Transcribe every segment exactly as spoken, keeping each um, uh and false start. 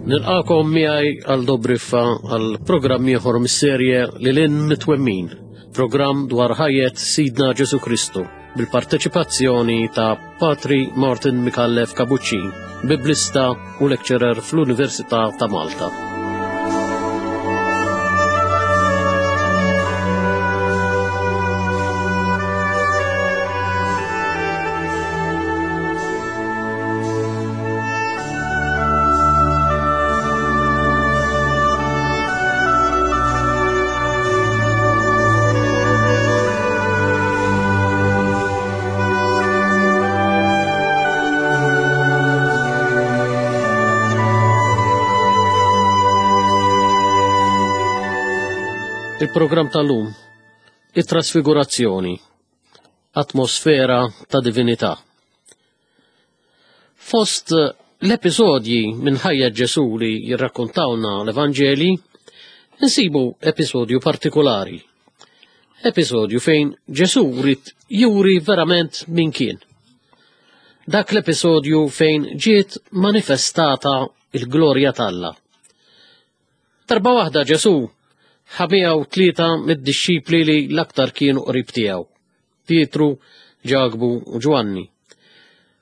Nilqakom miegħi għal Dobriffa għal programm ieħor mis-serje Lil Hinn Mitwemmin, programm dwar ħajjet Sidna Ġesu Kristu bil-parteċipazzjoni ta' Patri Martin Micallef Kabuċin, biblista u lecturer fl-Università ta' Malta. Il-programm tal-lum, it-trasfigurazzjoni, atmosfera ta' divinità. Fost l-episodji minn ħajja Ġesù li jirrakkontawna l-Evanġeli, insibu episodju partikolari. Episodju fejn Ġesù rid juri verament min kien. Dak l-episodju fejn ġiet manifestata il-glorja t'Alla. Darba waħda Ġesù ħa miegħu tlieta mid-dixxipli li l-aktar kienu qrib tiegħu, Pietru, Ġakbu u Ġwanni.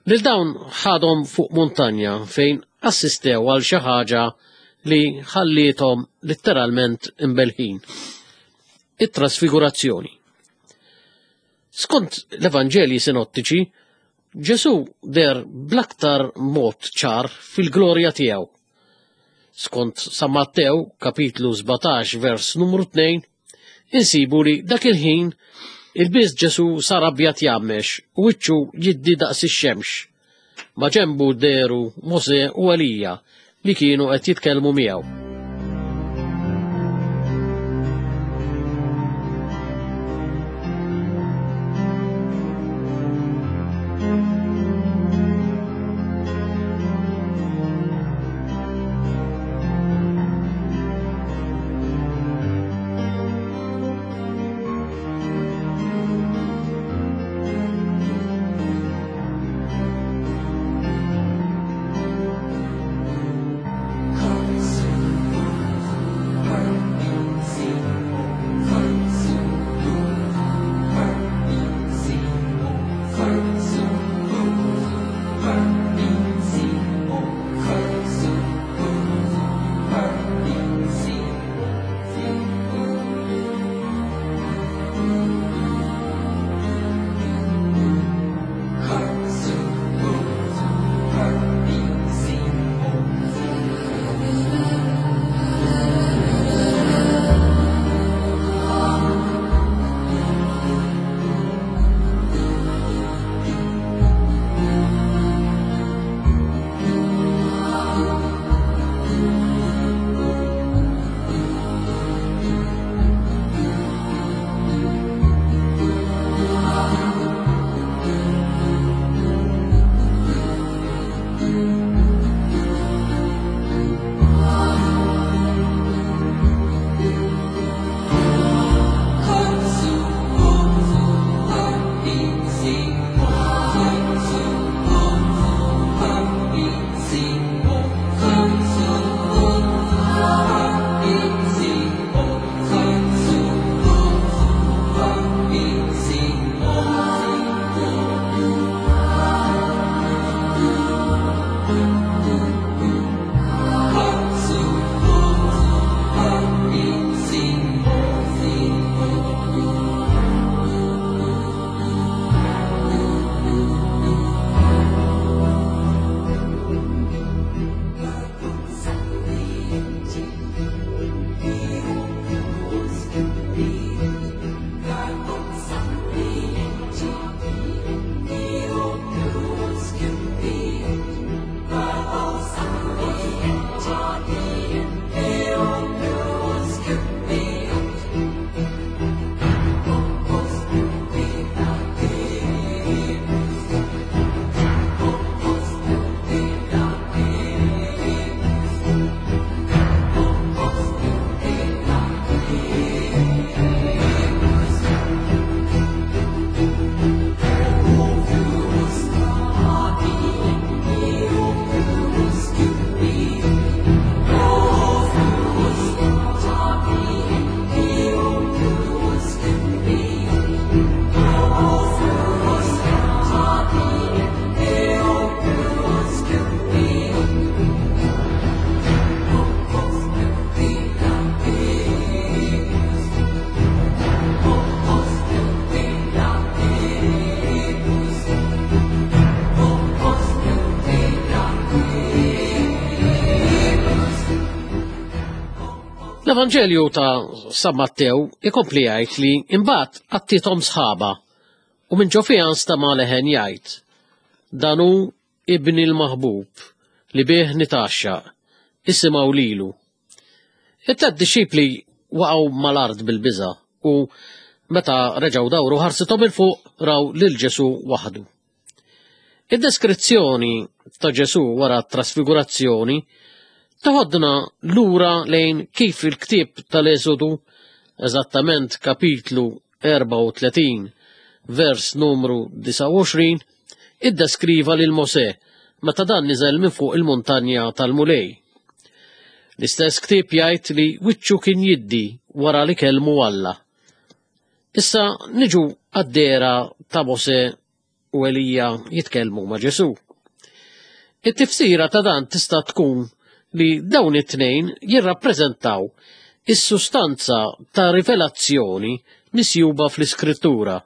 Lil dawn ħadhom fuq muntanja fejn assistew għal xi ħaġa li ħalliethom letteralment imbelħin. It-trasfigurazzjoni. Skont l-Evanġelji sinottiċi, Ġesù der bl-aktar mod ċar fil-glorja tiegħu. Skont San Mattew, kapitlu sbatax, vers numru tnejn, insibu li dak il-ħin il-biss Ġesù sar abjad jgħammex u wiċċu jiddi daqs ix-xemx. Ma ġembu deru Mosè u Elija li kienu qed jitkellmu miegħu. L-Evanġelju ta' San Mattew ikompli jgħid li imbagħad għattiethom sħaba u minn ġo fiha nstama' leħen jgħid: Dan hu ibni l-maħbub li bih nitgħaxxaq, isimgħu lilu. It-tliet dixxipli waqgħu mal-art bil-biża' u meta reġgħu dawru ħarsithom 'il fuq raw lil Ġesù waħdu. Id-deskrizzjoni ta' Ġesù wara t-trasfigurazzjoni toħodna lura lejn kif il-ktieb tal-Eżodu, eżattament kapitlu erbgħa u tletin, vers numru disgħa u għoxrin, iddeskriva lil Mosè meta dan niżel minn fuq il-muntanja tal-Mulej. L-istess ktieb jgħid li wiċċu kien jiddi wara li kellmu Alla. Issa niġu għad-dehra ta' Mosè u Elija jitkellmu ma' Ġesù. It-tifsira ta' dan tista' tkun li dawn it-tnejn jirrappreżentaw is-sustanza ta' rivelazzjoni misjuba fl-Iskrittura.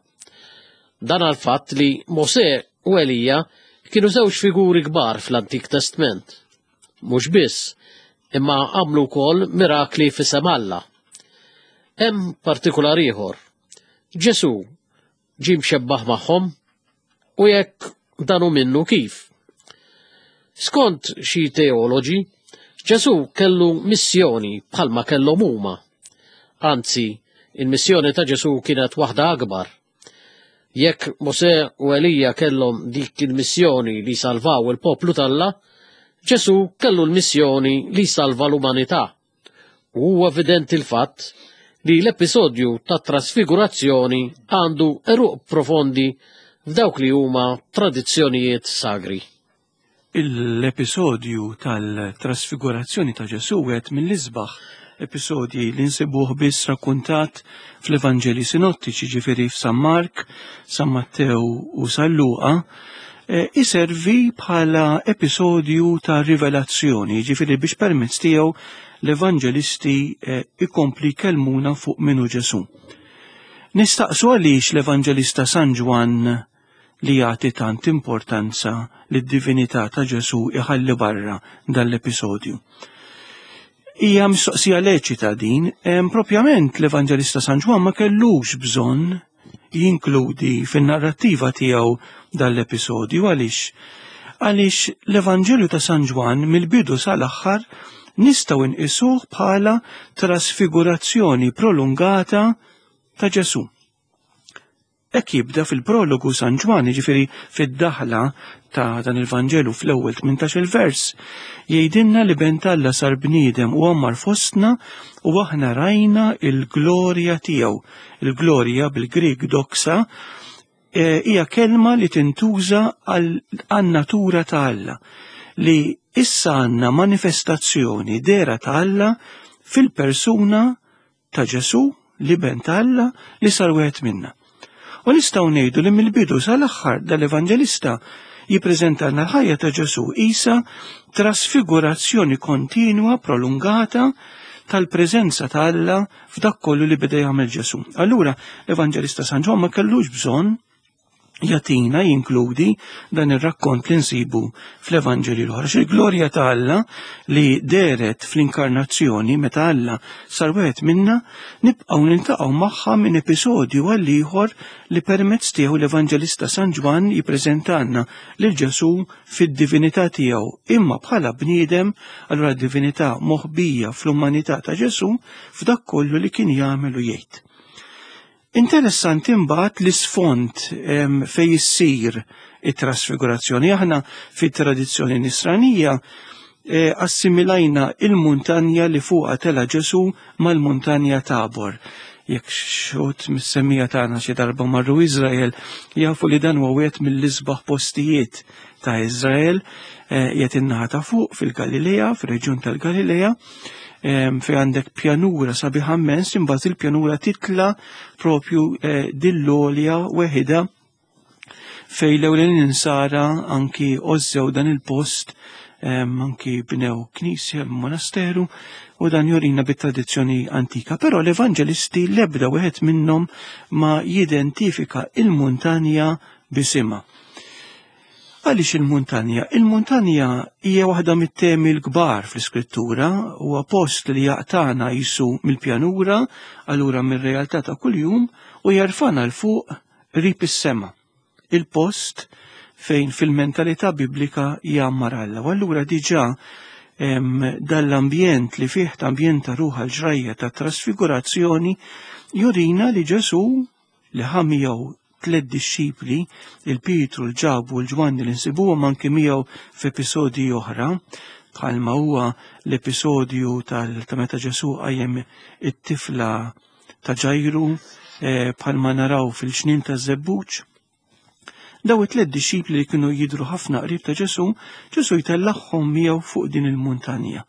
Dan għall-fatt li Mosè u Elija kienu żewġ figuri kbar fl-Antik Testment. Mhux biss, imma għamlu wkoll mirakli f'isem Alla. Hemm partikular ieħor. Ġesù ġie mxebbaħ magħhom u jekk dan hu minnu kif? Skont xi teoloġi, Ġesù kellu missjoni bħalma kellhom huma. Anzi, il-missjoni ta' Ġesù kienet waħda akbar. Jekk Mosè u Elija kellhom dik il-missjoni li salvaw il-poplu t'Alla, Ġesù kellu l-missjoni li salva l-umanità. U huwa evidenti l-fatt li l-episodju ta' trasfigurazzjoni għandu għeruq profondi f'dawk li huma tradizzjonijiet sagri. L-episodju tal-trasfigurazzjoni ta' Ġesù wieħed mill-isbaħ episodji li nsibuh biss rakkuntat fl-Evanġeli sinottiċi, ġifieri f'San Mark, San Mattew u San Luqa, eh, iservi bħala episodju ta' rivelazzjoni, ġifieri biex permezz tiegħu l-evanġelisti, eh, ikompli jkellmuna fuq minnu Ġesù. Nistaqsu għaliex l-Evanġelista San Ġwann li jagħti tant importanza lid-divinità ta' Ġesù iħalli barra dan l-episodju. Hija mistoqsija leċita din, em, propjament l-Evanġelista San Ġwann ma kellux bżonn jinkludi fin-narrattiva tiegħu dan l-episodju. Għaliex? Għaliex l-Evanġelju ta' San Ġwann mill-bidu sal-aħħar nistgħu nqisuh bħala trasfigurazzjoni prolungata ta' Ġesù. Hekk jibda fil-prologu San Ġwann, jiġifieri fid-daħla ta' dan il-Vanġelu fl-ewwel tmintax-il vers, jgħidilna li ben Alla sar bniedem u għammar fostna u aħna rajna il-glorja tiegħu. Il-glorja bil-Grieg doxa, eh, hija kelma li tintuża għan-natura ta' Alla, li issa għandna manifestazzjoni dera ta' Alla fil-persuna ta' Ġesù, li ben ta' Alla li sar wieħed minna. U nistgħu ngħidu li mill-bidu sal-aħħar dal-Evanġelista jippreżentalna l-ħajja ta' Ġesù isa trasfigurazzjoni kontinwa prolungata tal-preżenza ta' Alla f'dak kollu li beda jagħmel Ġesù. Allura l-Evanġelista San Ġwann ma kellux bżonn jagħtina jinkludi dan ir-rakkont li nsibu fl-Evanġelju l-oħra. Il-glorja ta' Alla li dehret fl-inkarnazzjoni meta Alla sar wieħed minna, nibqgħu niltaqgħu magħha minn episodju għal ieħor li permezz tiegħu l-Evanġelista San Ġwann jippreżentalna lil Ġesù fid-divinità tiegħu, imma bħala bniedem, allura divinità moħbija fl-umanità ta' Ġesù f'dak kollu li kien jagħmel u jgħid. Interessanti imbagħad l-isfond, em, fejn issir it-trasfigurazzjoni. Aħna fit-tradizzjoni nisranija, eh, assimilajna il-muntanja li fuqha tela Ġesù mal-muntanja Tabor. Jekk xot mis-semmija tagħna xi darba marru Iżrael, jafu li dan huwa wieħed mill-isbaħ postijiet ta' Iżrael, eh, qiegħed in-naħa ta' fuq fil-Galilea, fir-reġjun tal-Galilea, em, fej għandek pjanura sabiħa immens, imbagħad il-pjanura titla propju, eh, dil-għolja weħida fej l-ewwel insara anki ożżew dan il-post, em, anki bnew knisja, monasteru, u dan jurina bit-tradizzjoni antika. Però l-evanġelisti l-ebda wieħed minnhom ma jidentifika il-muntanja bisimha. Għaliex il-muntanja? Il-muntanja hija waħda mit-temi l-kbar fl-iskrittura, huwa post li jaqtana jisu mill-pjanura, allura mir-realtà ta' kuljum, u jarfana 'l fuq qrib is-sema. Il-post fejn fil-mentalità biblika jgħammar Alla. U allura diġà dal-ambjent li fih ambjent ta' ruħa l-ġrajja ta' trasfigurazzjoni jurina li Ġesù li ħa miegħu tliet dixxipli, il-Pietru, l-Ġakbu u l-Ġwanni li nsibuhom anki miegħu f'episodji oħra, bħalma huwa l-episodju ta' meta Ġesù qajjem it-tifla ta' Ġajru, bħalma naraw fil-ġnien taż-Żebbuġ. Daw it-tliet dixxipli li kienu jidhru ħafna qrib ta' Ġesù, Ġesù jtellagħhom miegħu fuq din il-muntanja.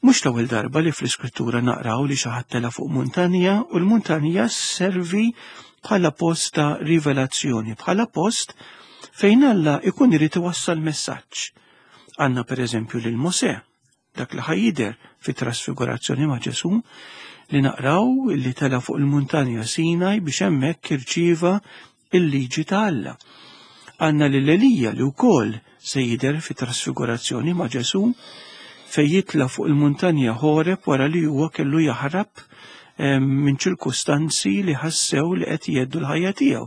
Mhux l-ewwel darba li fl-Iskrittura naqraw li xi ħadd tela' fuq muntanja u l-muntanja sservi bħala post ta' rivelazzjoni, bħala post fejn Alla ikun irid iwassal messaġġ. Għandna pereżempju lil Mosè, dak li ħajjider fit trasfigurazzjoni ma' Ġesù, li naqraw li tela' fuq il-muntanja Sinaj biex hemmhekk irċieva il-liġi ta' Alla. Għandna lil Elija li wkoll se jidher fit trasfigurazzjoni ma' Ġesù fejn jitla' fuq il-muntanja Ħoreb wara li huwa kellu jaħrab minn ċirkustanzi li ħassew li qed jgħeddu l-ħajja tiegħu.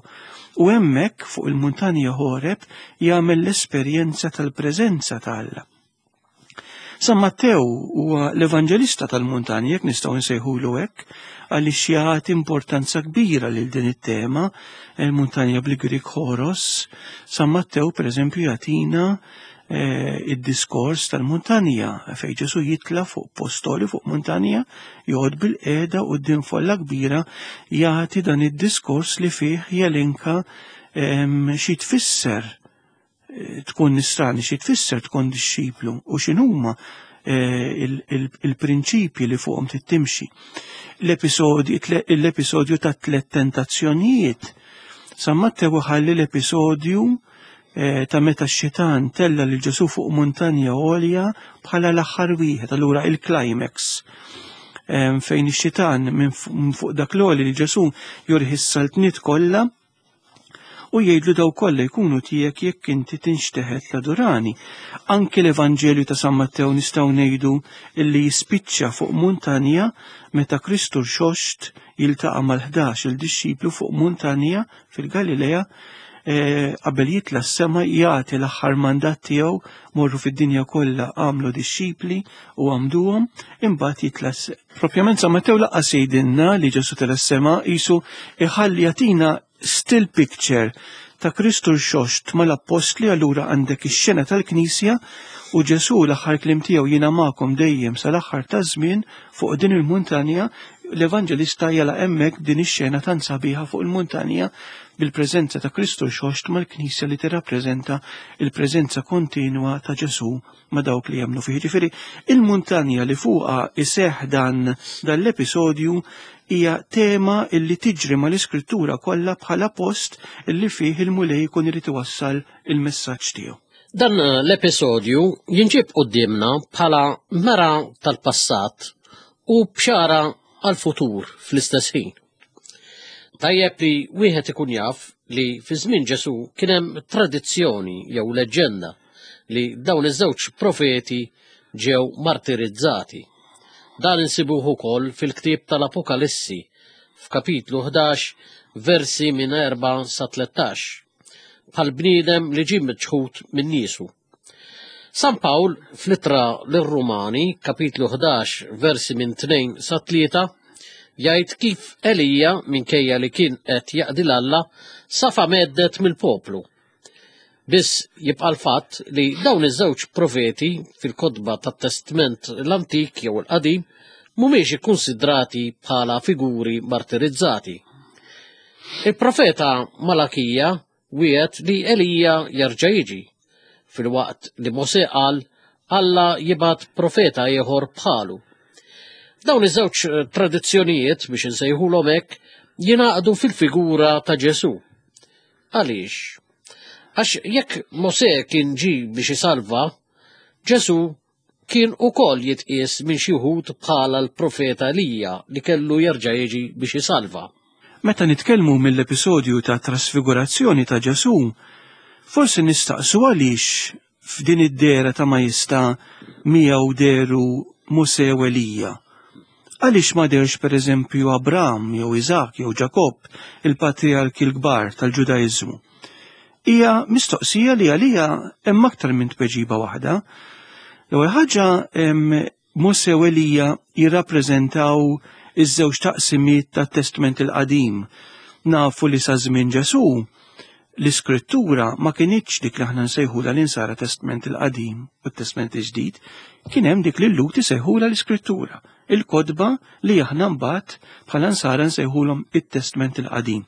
U hemmhekk fuq il-muntanja Ħoreb jagħmel l-esperjenza tal-preżenza ta' Alla. San Mattew huwa l-evanġelista tal-muntanja, jekk nistgħu nsejħulu hekk, għaliex jagħti importanza kbira lil din it-tema, il-muntanja bil-Grik Ħoros. San Mattew pereżempju jagħtina id-diskors tal-muntanja fejn Ġesù jitla' fuq postoli fuq muntanja, joqgħod bil-qiegħda quddiem folla kbira jagħti dan id-diskors li fih jelenka xi tfisser tkun nisrani, xi tfisser tkun dixxiplu u x'inhuma il-prinċipji li fuqhom tittimxi. L-episodju ta' tliet tentazzjonijiet. San Mattew ħalli l-episodju ta' meta x-xitan tella lil Ġesù fuq muntanja għolja bħala l-aħħar wieħed, allura il-climax fejn ix-xitan minn fuq dak l-għoli li Ġesù jurih is-saltniet kollha u jgħidlu daw kollha jkunu tiegħek jekk inti tinxteħet l-adurani. Anki l-Evanġelju ta' San Mattew nistgħu ngħidu illi jispiċċa fuq muntanja meta Kristu rxoxt jiltaqa' mal-ħdax il-dixxiplu fuq muntanja fil-Galilea qabel jitla' s-sema jagħti l-aħħar mandat tiegħu morru fid-dinja kollha għamlu dixxipli u għamduhom, imbagħad jitla' s-sema. Propjament San Mattew laqqas jgħidilna li Ġesù tela' s-sema qisu iħalli jagħtina still picture ta' Kristu rxoxt mal-appostli, allura għandek ix-xena tal-Knisja u Ġesù l-aħħar kliem tiegħu jiena magħkom dejjem sal-aħħar taż-żmien fuq din il-muntanja. L-Evanġelista jala hemmhekk din ix-xena tant sabiħa fuq il-muntanja bil-preżenza ta' Kristu rxoxt mal-Knisja li tirrappreżenta il-preżenza kontinwa ta' Ġesù ma' dawk li jemmnu fih. Ġifieri il-muntanja li fuqha iseħħ dan dan l-episodju hija tema illi tiġri mal-Iskrittura kollha bħala post illi fih il-Mulej jkun irid iwassal il-messaġġ tiegħu. Dan l-episodju jinġib quddiemna bħala mera tal-passat u bxara għal-futur fl-istess ħin. Tajjeb li wieħed ikun jaf li fi żmien Ġesù kien hemm tradizzjoni jew leġġenda li dawn iż-żewġ profeti ġew martirizzati. Dan insibuh ukoll fil-ktieb tal-Apokalissi f'kapitlu ħdax versi minn erba' sa tlettax, bħal bniedem li ġie miċħud minn niesu. San Pawl fl-ittra lir-Rumani, kapitlu ħdax versi minn tnejn sa tlieta, jgħid kif Elija minkejja li kien qed jaqdi l-Alla safa meddet mill-poplu. Biss jibqa' l-fatt li dawn iż-żewġ profeti fil-kotba tat-Testment l-Antik jew il-Qadim mhumiex ikkunsidrati bħala figuri martirizzati. Il-profeta Malakija wiegħed li Elija jerġa' jiġi, filwaqt li Mosè qal Alla jibgħat profeta ieħor bħalu. Dawn iż-żewġ tradizzjonijiet biex insejħulhom hekk jingħaqdu fil-figura ta' Ġesù. Għaliex? Għax jekk Mosè kien ġie biex isalva, Ġesù kien ukoll jitqies minn xi wħud bħala l-profeta Elija li kellu jerġa' jiġi biex isalva. Meta nitkellmu mill-episodju ta' trasfigurazzjoni ta' Ġesù, Forsi nistaqsu għaliex f'din id-dehra ta' Majesta miegħu dehru Mosè u Elija. Għaliex ma dehrx pereżempju Abram jew Iżak jew Ġakobb, il-patriarki l-kbar tal-Ġudaiżmu? Hija mistoqsija li għalija hemm aktar minn tweġiba waħda. L-ewwel ħaġa, Mosè u Elija jirrappreżentaw iż-żewġ taqsimiet tat-Testment il-Qadim. Nafu li sa żmien Ġesù l-iskrittura ma kinitx dik li aħna nsejħula l-insara Testment il-Qadim u t-Testment il-Ġdid, kien hemm dik li l-Lhud isejħula l-iskrittura, il-kotba li aħna mbagħad bħala nsara nsejħulhom it-Testment il-Qadim,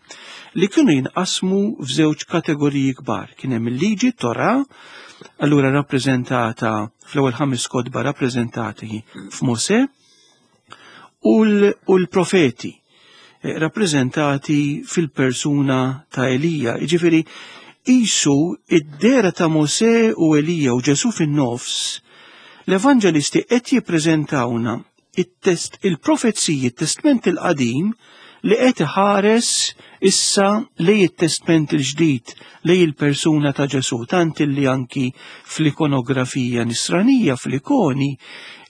li kienu jinqasmu f'żewġ kategoriji kbar. Kien hemm il-liġi, Torah, allura rappreżentata fl-ewwel ħames kotba rappreżentati f'Mosè, u l-profeti rappreżentati fil-persuna ta' Elija. Jiġifieri qisu id-dehra ta' Mosè u Elija u Ġesù fin-nofs, l-evanġelisti qed jippreżentawna it-test, il-profeziji, it-Testment il-Qadim li qed iħares issa lej it-Testment il-Ġdid, lej il-persuna ta' Ġesù, tant li anki fl-ikonografija nisranija, fl-ikoni,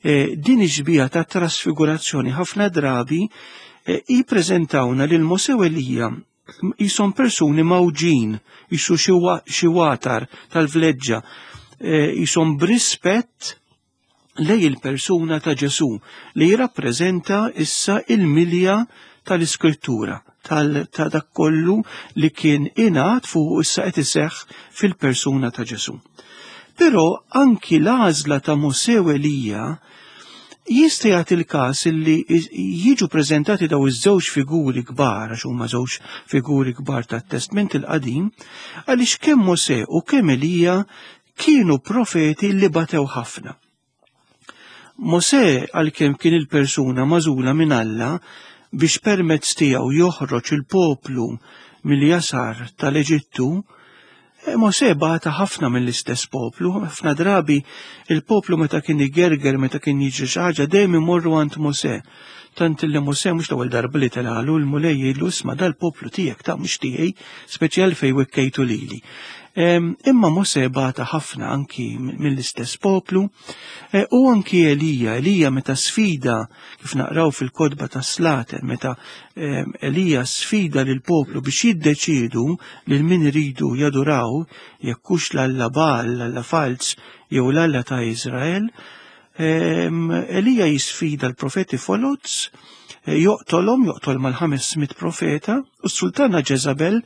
eh, din ix-xbieha ta' trasfigurazzjoni ħafna drabi jippreżentawna lil Mosè u Elija jisom persuni mawġin, jisu xi watar tal-vleġġa, jisom b'rispett lej il-persuna ta' Ġesù li jirrappreżenta issa il-milja tal-Iskrittura, ta' dak kollu li kien ingħad fuq issa qed iseħħ fil-persuna ta' Ġesù. Però anki l-għażla ta' Mosè u Elija jista' jagħti l-każ li jiġu preżentati daw iż-żewġ figuri kbar, għax huma żewġ figuri kbar tat-Testment il-Qadim, għaliex kemm Mosè u kemm Elija kienu profeti li batew ħafna. Mosè, għalkemm kien il-persuna magħżula minn Alla biex permezz tiegħu joħroġ il-poplu mill-jasar tal-Eġittu, Mosè bata ħafna mill-istess poplu. Ħafna drabi il-poplu meta kien igerger, meta kien jiġri xi ħaġa, dejjem imorru għand Mosè. Tant li Mosè mhux l-ewwel darba li telgħalu l-Mulej jgħidlu isma' dal-poplu tiegħek ta' mhux tiegħi, speċjal fejn wikkejtu lili. Imma Mosè bata ħafna anki mill-istess poplu, u anki Elija. Elija meta sfida, kif naqraw fil-kotba ta' Slaten, meta Elija sfida lil poplu biex jiddeċiedu lil min iridu jaduraw, jekk hux l-Alla Baal, l-Alla falz, jew l-Alla ta' Izrael, Elija jisfida l-profeti foloz, joqtolhom, joqtol mal-ħames mitt profeta, u s-sultana Ġeżabel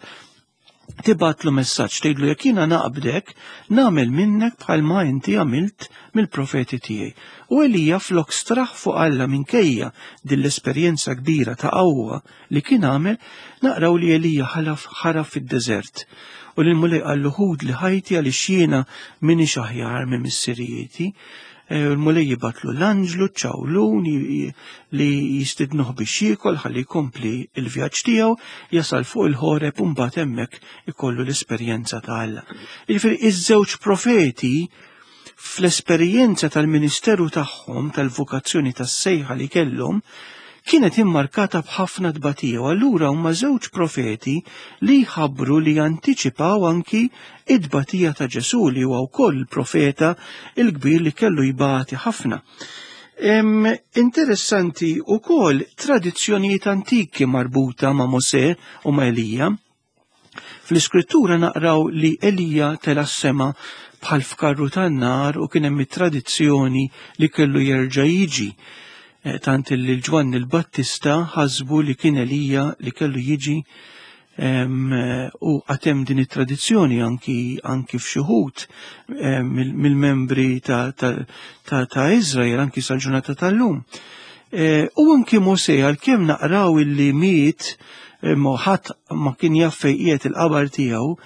tibatlu messaġġ tgħidlu jekk jiena naqbdek, nagħmel minnek bħalma inti għamilt mill-profeti tiegħi. U Elija flok straħ fuq Alla minkejja din l-esperjenza kbira ta' qawwa li kien għamel, naqraw li Elija ħalaf ħaraf fid-deżert. U lil Mulej qallu ħud li ħajti għaliex jiena minix aħjar minn missirijieti. Il-Mulej jibatlu l-anġlu ċawlun li jistidnuh biex jiekol ħalli jkompli il-vjaġġ tiegħu, jasal fuq il-Ħoreb u mbagħad hemmhekk ikollu l-esperjenza ta' Alla. Jiġifieri iż-żewġ profeti fl-esperjenza tal-ministeru tagħhom, tal-vokazzjoni tas-sejħa li kellhom, kienet immarkata b'ħafna tbatija, u allura huma żewġ profeti li jħabbru li jantiċipaw anki id-tbatija ta' Ġesù, li huwa wkoll il-profeta il-kbir li kellu jbati ħafna. Interessanti wkoll tradizzjonijiet antiki marbuta ma' Mosè u ma' Elija. Fl-iskrittura naqraw li Elija tela' s-sema bħal f'karru tan-nar u kien hemm it-tradizzjoni li kellu jerġa' jiġi. Tant li l-Ġwanni l-Battista ħasbu li kien Elija li kellu jiġi, u għatem din it-tradizzjoni anki, anki f'xi wħud mill-membri ta', ta', ta', ta' Izrael anki sal-ġurnata tal-lum. U anki Mosè, għalkemm naqraw illi miet, ma ħadd ma kien jaf fejn qiegħed il-qabar tiegħu,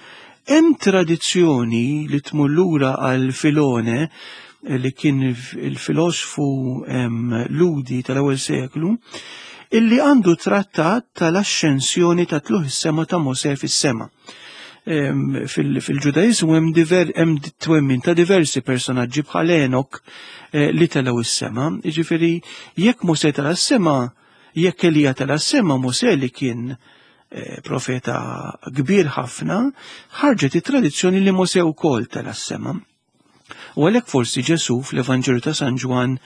hemm tradizzjoni li tmur lura għal Filone, li kien il-filosfu Ludi tal-ewwel seklu, illi għandu trattat tal-ascensjoni ta' tluħ is-sema ta' Mosè fis-sema. Fil-Ġudaiżmu hemm diver-, hemm twemmin ta' diversi personaġġi bħal Enok, eh, li telgħu is-sema. Jiġifieri jekk Mosè tela' s-sema, jekk Elija tela' s-sema, Mosè li kien profeta kbir ħafna, ħarġet it-tradizzjoni li Mosè wkoll tela' s-sema. U għalhekk forsi Ġesù fl-Evanġelju ta' San Ġwann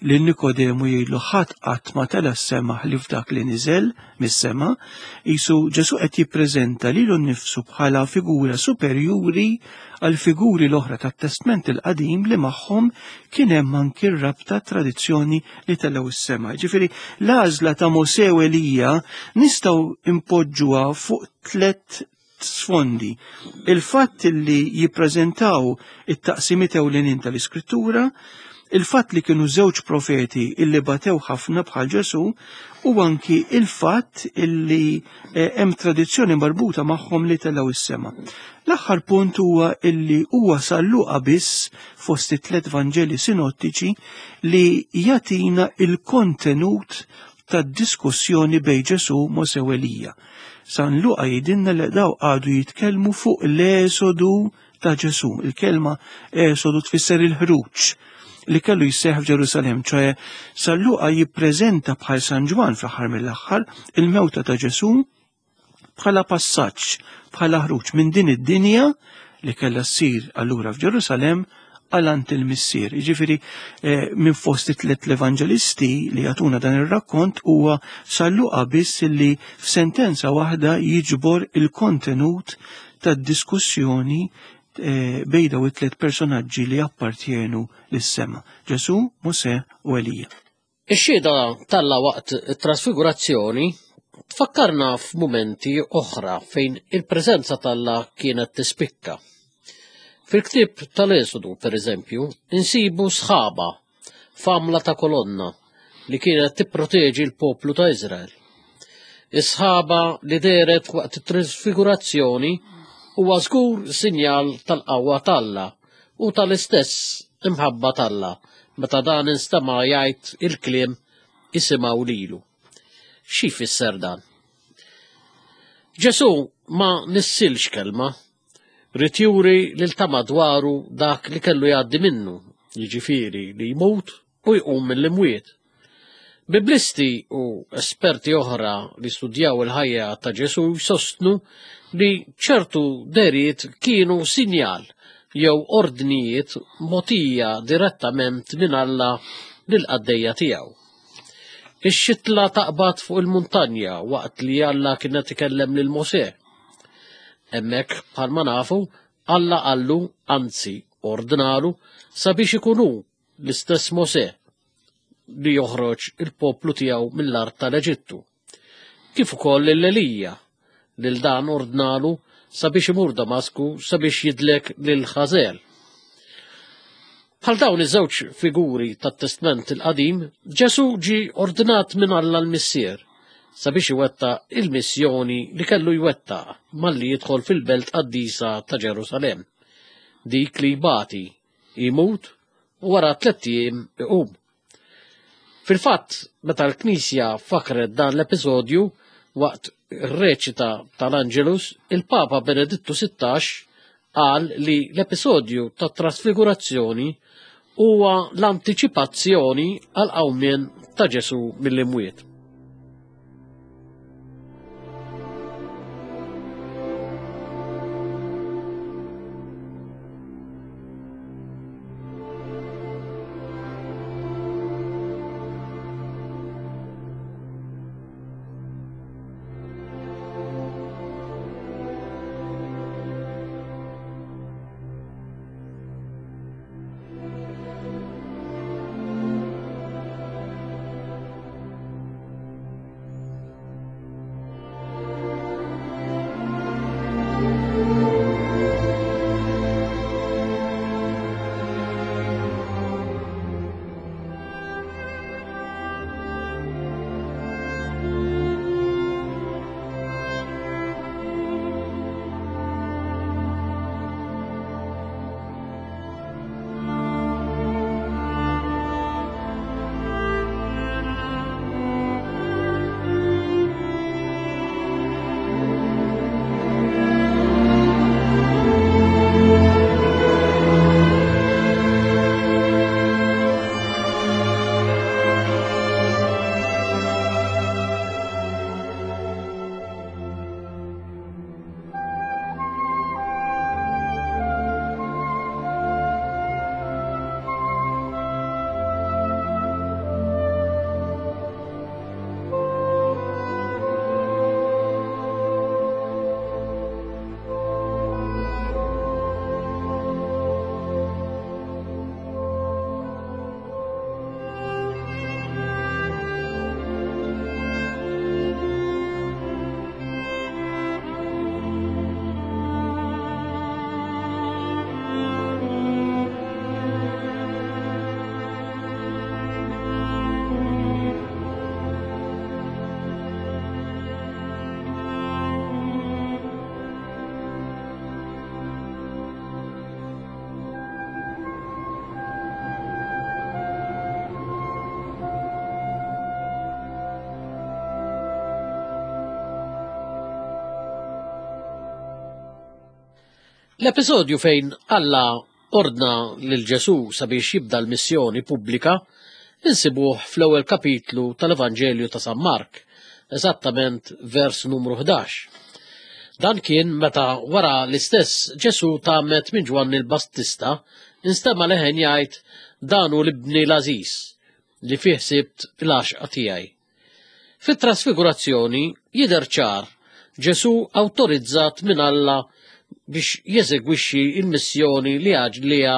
lil Nikodemu jgħidlu ħadd qatt ma tela' s-sema ħlief dak li niżel mis-sema, qisu Ġesù qed jippreżenta lilu nnifsu bħala figura superjuri għal figuri l-oħra tat-Testment il-Qadim li magħhom kien hemm anki r-rabta tradizzjoni li telgħu s-sema. Ġifieri l-għażla ta' Mosè u Elija nistgħu impoġġuha fuq tliet sfondi. Il-fatt li jippreżentaw it-taqsimiet ewlenin tal-Iskrittura, il-fatt li kienu żewġ profeti illi batew ħafna bħal Ġesù, u anki il-fatt illi hemm tradizzjoni marbuta magħhom li telgħu s-sema. L-aħħar punt huwa illi huwa San Luqa biss fost it-tliet Vanġeli sinottiċi li jagħtina il-kontenut tad-diskussjoni bejn Ġesù, Mosè u Elija. San Luqa jgħidilna li daw għadu jitkellmu fuq l-esodu ta' Ġesù. Il-kelma esodu tfisser il-ħruġ li kellu jseħħ f'Ġerusalemm, ċoe San Luqa jippreżenta bħal San Ġwann fl-aħħar mill-aħħar il-mewta ta' Ġesù bħala passaġġ, bħala ħruġ minn din id-dinja li kellha ssir allura f'Ġerusalemm għal għand il-Missier. Jiġifieri minn fost it-tliet l-evanġelisti li jagħtuna dan ir-rakkont huwa San Luqa biss li f'sentenza waħda jiġbor il-kontenut tad-diskussjoni bejn dawn it-tliet personaġġi li appartjenu lis-sema: Ġesù, Mosè u Elija. Ix-xhieda t'Alla waqt it-trasfigurazzjoni tfakkarna f'mumenti oħra fejn il-preżenza t'Alla kienet tispikka. Fil-ktieb tal-Esodu, per eżempju, insibu sħaba f'għamla ta' kolonna li kienet tipproteġi l-poplu ta' Iżrael. Is-sħaba li dehret waqt it-trasfigurazzjoni huwa żgur sinjal tal-qawwa t'Alla u tal-istess imħabba t'Alla meta dan instema' jgħid il-kliem isimgħu lilu. Xi jfisser dan? Ġesù ma nissilx kelma, ried juri lil ta' madwaru dak li kellu jgħaddi minnu, jiġifieri li jmut u jqum mill-imwiet. Biblisti u esperti oħra li studjaw il-ħajja ta' Ġesù jsostnu li ċertu deriet kienu sinjal jew ordnijiet mogħtija direttament minn Alla lill-qaddejja tiegħu. Ix-xitla taqbad fuq il-muntanja waqt li Alla kien qed ikellem lil Mosè. Hemmhekk bħalma nafu, Alla qallu, anzi ordnalu, sabiex ikun hu l-istess Mosè li joħroġ il-poplu tiegħu mill-art tal-Eġittu. Kif ukoll lil Elija, lil dan ordnalu sabiex imur Damasku sabiex jidlek lil Ħażel. Bħal dawn iż-żewġ figuri tat-Testment il-Qadim, Ġesù ġie ordnat minn Alla l-Missier sabiex iwettaq il-missjoni li kellu jwettaq malli jidħol fil-belt qaddisa ta' Ġerusalemm, dik li jbati, imut u wara tliet ijiem iqum. Fil-fatt, meta l-Knisja fakret dan l-episodju waqt ir-reċita tal-Angelus, il-Papa Benedittu sittax qal li l-episodju tat-trasfigurazzjoni huwa l-antiċipazzjoni għal qawmien ta' Ġesù mill-imwiet. L-episodju fejn Alla ordna lil Ġesù sabiex jibda l-missjoni pubblika insibuh fl-ewwel kapitlu tal-Evanġelju ta' San Mark, eżattament vers numru ħdax. Dan kien meta wara l-istess Ġesù tgħammed minn Ġwanni l-Battista, instema' leħen jgħid dan hu l-ibni l-għażiż li fih sibt l-għaxqa tiegħi. Fit-trasfigurazzjoni jidher ċar Ġesù awtorizzat minn Alla biex jeżegwixxi l-missjoni li għalija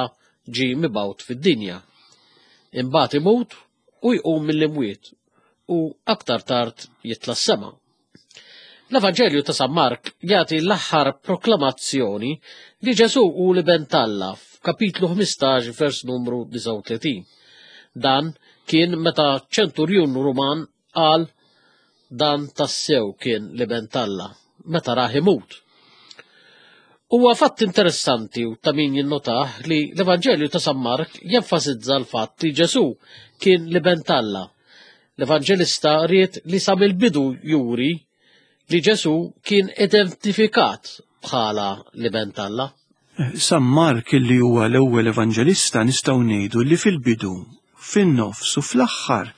ġie mibgħut fid-dinja. Imbagħad imut u jqum mill-imwiet u aktar tard jitla' s-sema. L-Evanġelju ta' San Mark jagħti l-aħħar proklamazzjoni li Ġesù hu l-Iben t'Alla f'kapitlu ħmistax vers numru disgħa u tletin. Dan kien meta ċenturjun Ruman qal dan tassew kien l-Iben t'Alla meta rah imut. Huwa fatt interessanti u ta' min jinnotah li l-Evanġelju ta' San Mark jenfasizza l-fatt li Ġesù kien l-Iben t'Alla. L-Evanġelista ried li sa mill-bidu juri li Ġesù kien identifikat bħala l-Iben t'Alla. San Mark li huwa l-ewwel evanġelista nistgħu ngħidu li fil-bidu, fin-nofs u fl-aħħar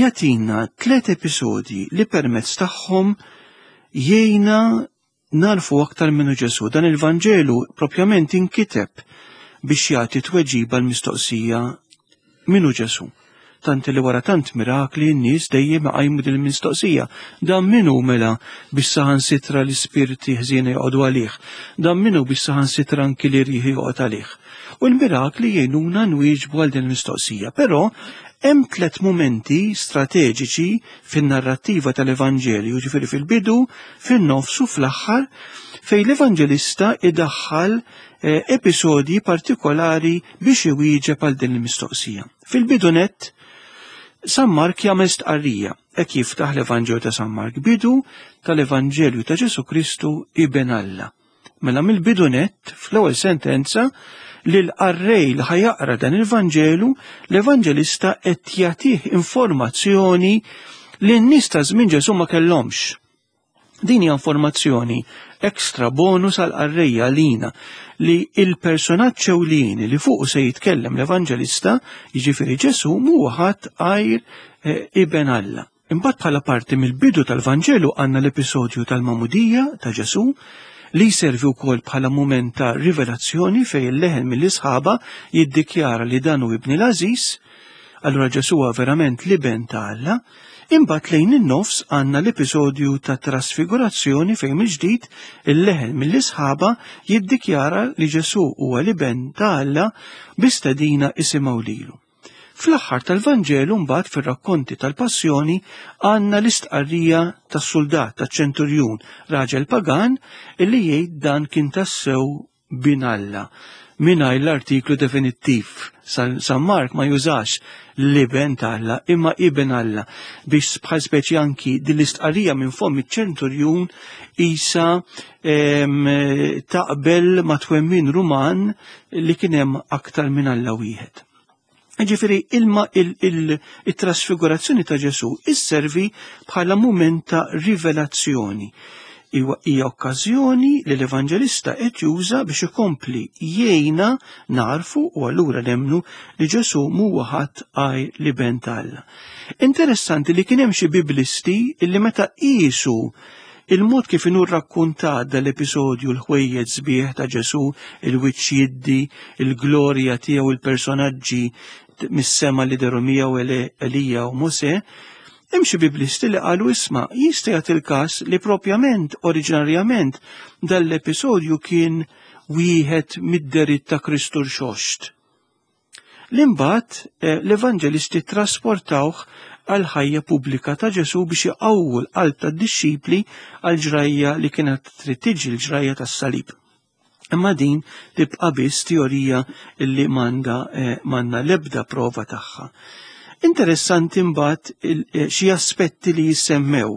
jagħtina tliet episodji li permezz tagħhom jgħinna narfu aktar minnu Ġesù. Dan il-Vanġelu propjament inkiteb biex jagħti tweġiba l-mistoqsija minnu Ġesù. Tant li wara tant mirakli n-nies dejjem iqajmu din il-mistoqsija. Dan minnu mela biex saħansitra l-ispirti ħżiena joqogħdu għalih. Dan minnu biex saħansitra anki li rieħ joqgħod għalih. U l-mirakli jgħinuna nwieġbu għal din il-mistoqsija. Però hemm tliet mumenti strateġiċi fin-narrattiva tal-Evanġelju, ġifieri fil-bidu, fin-nofs u fl-aħħar, fejn l-Evanġelista idaħħal, eh, episodji partikolari biex iwieġeb għal din il-mistoqsija. Fil-bidu nett, San Mark jagħmel stqarrija, hekk jiftaħ l-Evanġelju ta' San Mark, bidu tal-Evanġelju ta' Ġesù Kristu Iben Alla. Mela mill-bidu nett, fl-ewwel sentenza, li l-qarrej li ħajaqra dan il-Vanġelu, l-Evanġelista qed jagħtih informazzjoni li n-nies ta' żmien Ġesù ma kellhomx. Din hija informazzjoni ekstra bonus għal qarrejja lina li il-personaġġ ewlieni li fuqu se jitkellem l-Evanġelista, jiġifieri Ġesù, mhuwa ħadd għajr, eh, Iben Alla. Imbagħad bħala parti mill-bidu tal-Vanġelu għandna l-episodju tal-Magħmudija ta' Ġesù li jservi wkoll bħala mument ta' rivelazzjoni fejn il-leħen mill-isħaba jiddikjara li dan hu ibni l-għażiż, allura Ġesù huwa verament l-Iben ta' Alla. Imbagħad lejn in-nofs għandna l-episodju ta' trasfigurazzjoni fejn mill-ġdid il-leħen mill-isħaba jiddikjara li Ġesù huwa l-Iben ta' Alla bi stedina isimgħu lilu. Fl-aħħar tal-Vanġelu mbagħad fir-rakkonti tal-Passjoni għandna l-istqarrija tas-suldat taċ-ċenturjun, raġel pagan, illi jgħid dan kien tassew bin Alla. Mingħajr l-artiklu definittiv. San, San Mark ma jużax l-iben ta' Alla imma iben Alla biex bħal speċi anki din l-istqarrija minn fomm iċ-ċenturjun isa, em, taqbel ma' twemmin Ruman li kien hemm aktar minn Alla wieħed. Ġifieri ilma il-, il-, il-trasfigurazzjoni ta' Ġesù isservi bħala mument ta' rivelazzjoni. Iwa hija okkażjoni li l-Evanġelista qed juża biex ikompli jgħinna narfu u allura nemmnu li Ġesù mhuwa ħadd għajr l-Iben ta' Alla. Interessanti li kien hemm xi biblisti illi meta qisu il-mod kif inhu rrakkuntat dal-episodju l-ħwejjeġ sbieħ ta' Ġesù, il-wiċċ jiddi, il-glorja tiegħu, il-personaġġi mis-sema li deru miegħu Ele-, Elija u Mosè, hemm xi biblisti li qalu isma' jista' jagħti l-każ li propjament oriġinarjament dal-episodju kien wieħed mid-deritt ta' Kristu rxoxt. L-imbagħad, eh, l-Evanġelisti trasportawh għal ħajja pubblika ta' Ġesù biex iqawwu l-qalb tad-dixxipli għal ġrajja li kienet trid tiġi l-ġrajja tas-salib. Imma din tibqa' biss teorija li m'għandha, eh, m'għandna l-ebda prova tagħha. Interessanti mbagħad il-, eh, xi aspetti li jissemmew.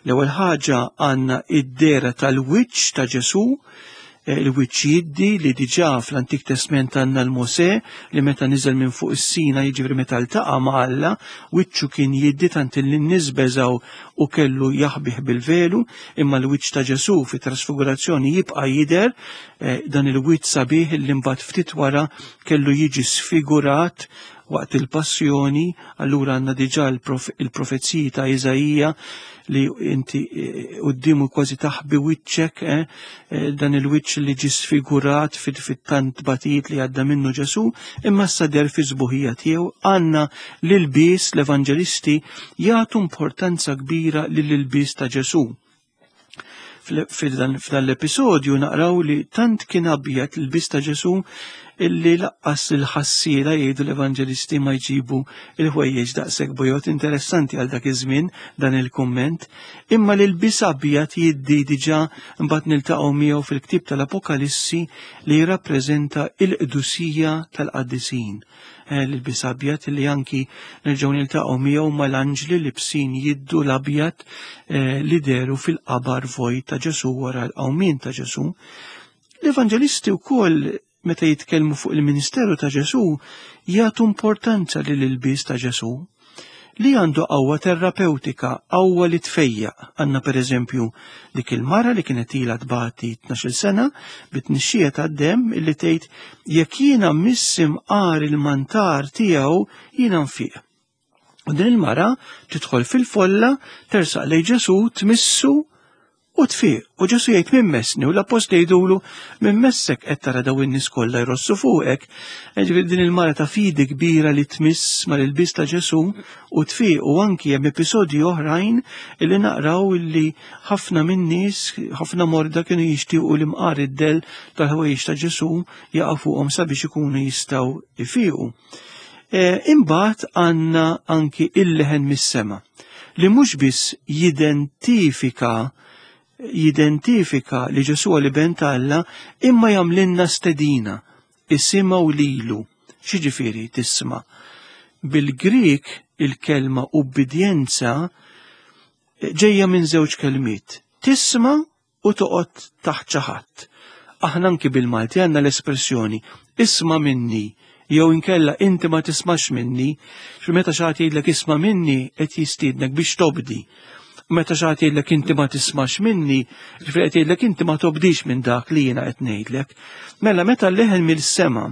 L-ewwel ħaġa għandna id-dera tal-wiċċ ta' Ġesù, il-wiċċ jiddi li diġà fl-Antik Testament għandna l-Mosè li meta niżel minn fuq is-Sina, jiġifieri meta ltaqa' ma' Alla, wiċċu kien jiddi tant li n-nies beżgħu u kellu jaħbih bil-velu, imma l-wiċċ ta' Ġesù fit-trasfigurazzjoni jibqa' jidher, dan il-wiċċ sabiħ li mbagħad ftit wara kellu jiġi sfigurat waqt il-passjoni. Allura għandna diġà il-profeziji ta' Iżaija li inti quddiemu kważi taħbi wiċċek, eh, dan il-wiċċ li ġi sfigurat fit-tant batijiet li għadda minnu Ġesù, imma issa der fi sbuħija tiegħu. Għandna l-ilbies, l-evanġelisti jagħtu importanza kbira lill-ilbies ta' Ġesù. F'dan l-episodju naqraw li tant kien abjad l-ilbies ta' Ġesù illi laqqas il-ħassiela, jgħidu l-evanġelisti, ma jġibu il-ħwejjeġ daqshekk bojod. Interessanti għal dak iż-żmien dan il-kumment, imma l-ilbies abjad jiddi diġà mbagħad niltaqgħu miegħu fil-ktieb tal-Apokalissi li jirrappreżenta il-qdusija tal-qaddisin. L-ilbies abjad li anki nerġgħu niltaqgħu miegħu mal-anġli libsin jiddu l-abjad li deru fil-qabar vojt ta' Ġesù wara l-qawmien ta' Ġesù. L-evanġelisti wkoll meta jitkellmu fuq il-ministeru ta' Ġesù jagħtu importanza lil ilbies ta' Ġesù li għandu qawwa terapeutika, qawwa li tfejjaq. Għandna pereżempju dik il-mara li kienet ilha tbati tnax-il sena bit-tnixxija tad-demm illi tgħid jekk jiena mmiss imqar il-mantar tiegħu jiena nfiq. U din il-mara tidħol fil-folla, tersaq lejn Ġesù, tmissu u tfiq. U Ġesù jgħid min messni, u l-appostli jgħidulu min messek qed tara daw in-nies kollha jrossu fuqek. Ġifieri din il-mara ta' fidi kbira li tmiss mal-ilbies ta' Ġesù u tfiq. U anki hemm episodji oħrajn illi naqraw illi ħafna min-nies, ħafna morda kienu jixtiequ li mqar id-del tal-ħwejjeġ ta' Ġesù jaqa' fuqhom sabiex ikunu jistgħu ifiqu. Imbagħad għandna anki il-leħen mis-sema li mhux biss jidentifika jidentifika li Ġesù huwa l-Iben ta' Alla, imma jagħmlilna stedina, isimgħu lilu. X'jiġifieri tisma'? Bil-Grik il-kelma ubbidjenza ġejja minn żewġ kelmiet, tisma' u toqgħod taħt xi ħadd. Aħna anki bil-Malti għandna l-espressjoni isma' minni, jew inkella inti ma tismax minni. Xi meta xi ħadd jgħidlek isma' minni qed jistiednek biex tobdi. Meta xi ħadd jgħidlek inti ma tismax minni, ġifieri qed jgħidlek inti ma tobdix minn dak li jiena qed ngħidlek. Mela meta l-leħen mill-sema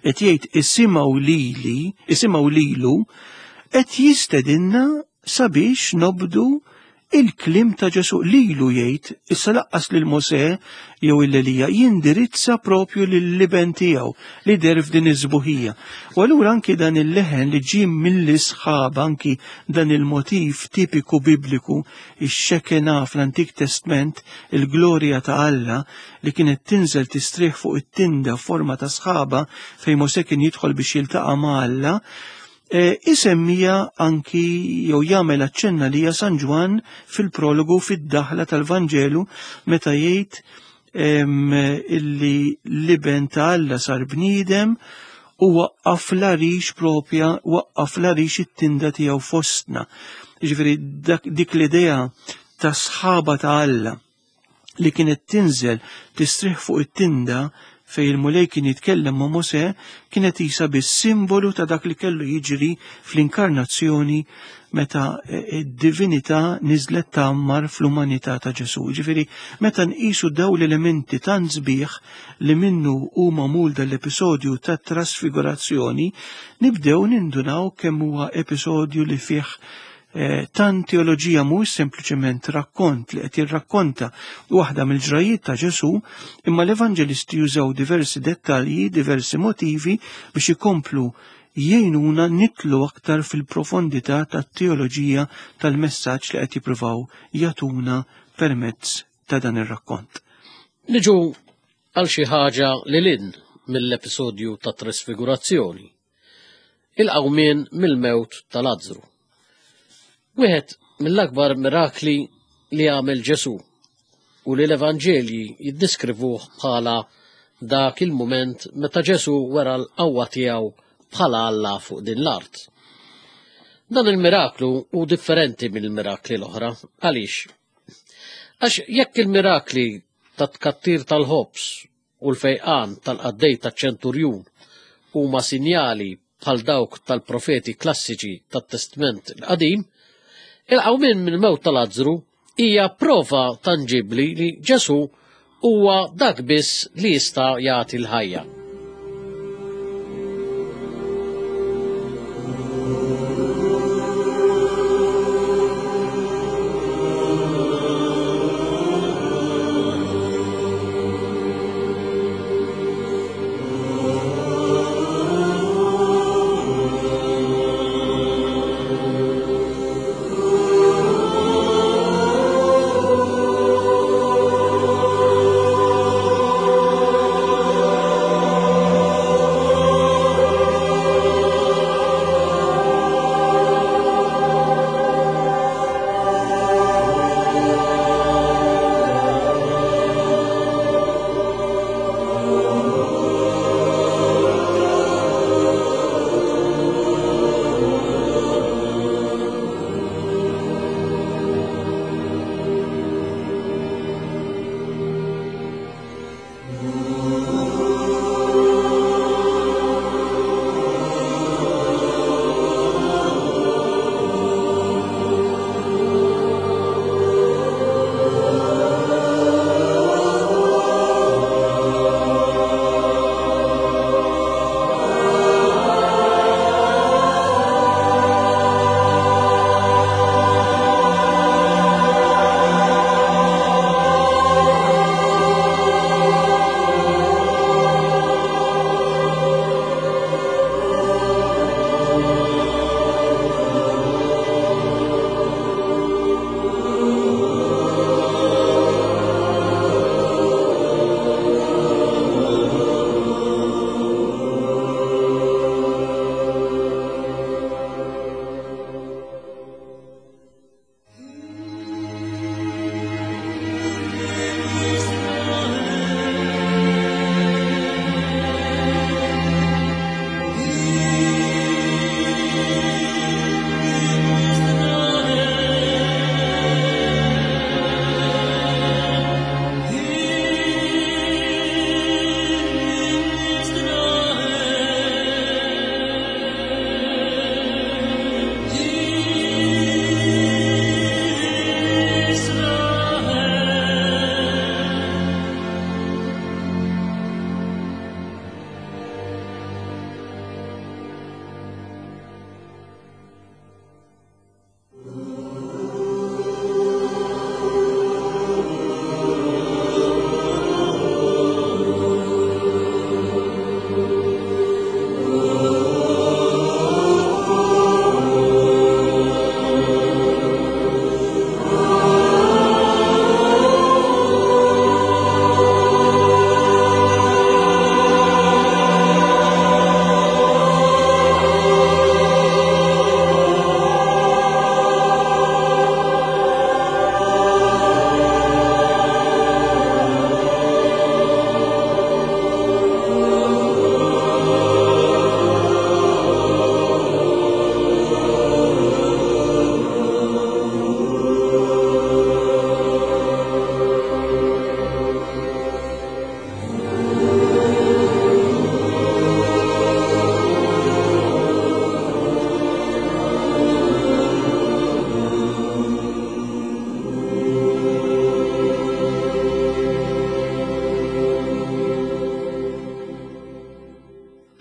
qed jgħid isimgħu lili, isimgħu lilu, qed jistedinna sabiex nobdu il-kliem ta' Ġesù. Lilu jgħid, issa laqqas lil Mosè jew il-Elija, jindirizza propju lill-iben tiegħu li der f'din iż-żbuħija. U allura anki dan il-leħen li ġie mill-isħab, anki dan il-motiv tipiku bibliku, ix-xekena fl-Antik Testament, il-glorja ta' Alla li kienet tinżel tistrieħ fuq it-tinda f'forma ta' sħaba fejn Mosè kien jidħol biex jiltaqa' ma' Alla, isemmija anki jew jagħmel aċċenna li hija San Ġwann fil-prologu fid-daħla tal-Vanġelu meta jgħid illi l-iben ta' Alla sar bniedem u waqqaf l-għarix propja, waqqaf l-għarix it-tinda tiegħu fostna. Jiġifieri dik l-idea ta' sħaba ta' Alla li kienet tinżel tistrieħ fuq it-tinda fej il-Mulej kien jitkellem ma' Mosè kienet isa bis-simbolu ta' dak li kellu jiġri fl-inkarnazzjoni meta id-divinità niżlet tgħammar fl-umanità ta' Ġesù. Ġifieri meta nqisu daw l-elementi tant sbieħ li minnu hu magħmul dal-episodju ta' trasfigurazzjoni, nibdew nindunaw kemm huwa episodju li fih tant teoloġija, mhuwiex sempliċement rakkont li qed jirrakkonta waħda mill-ġrajiet ta' Ġesù, imma l-evanġelisti jużaw diversi dettalji, diversi motivi biex ikomplu jgħinuna nitlu aktar fil-profondità tat-teoloġija tal-messaġġ li qed jippruvaw jagħtuna permezz ta' dan ir-rakkont. Niġu għal xi ħaġa lil hinn mill-episodju ta' trasfigurazzjoni, il-qawmien mill-mewt ta' Lazzru. Wieħed mill-akbar mirakli li għamel Ġesù u li l-Evanġelji jiddiskrivuh bħala dak il-mument meta Ġesù wera l-qawwa tiegħu bħala Alla fuq din l-art. Dan il-miraklu hu differenti mill-mirakli l-oħra. Għaliex? Għax jekk il-mirakli tat-tkattir tal-ħobż u l-fejqan tal-qaddej taċ-ċenturjun huma sinjali bħal dawk tal-profeti klassiċi tat-Testment il-Qadim, il-qawmien mill-mewt ta' Lazzru hija prova tanġibbli li Ġesù huwa dak biss li jista' jagħti l-ħajja.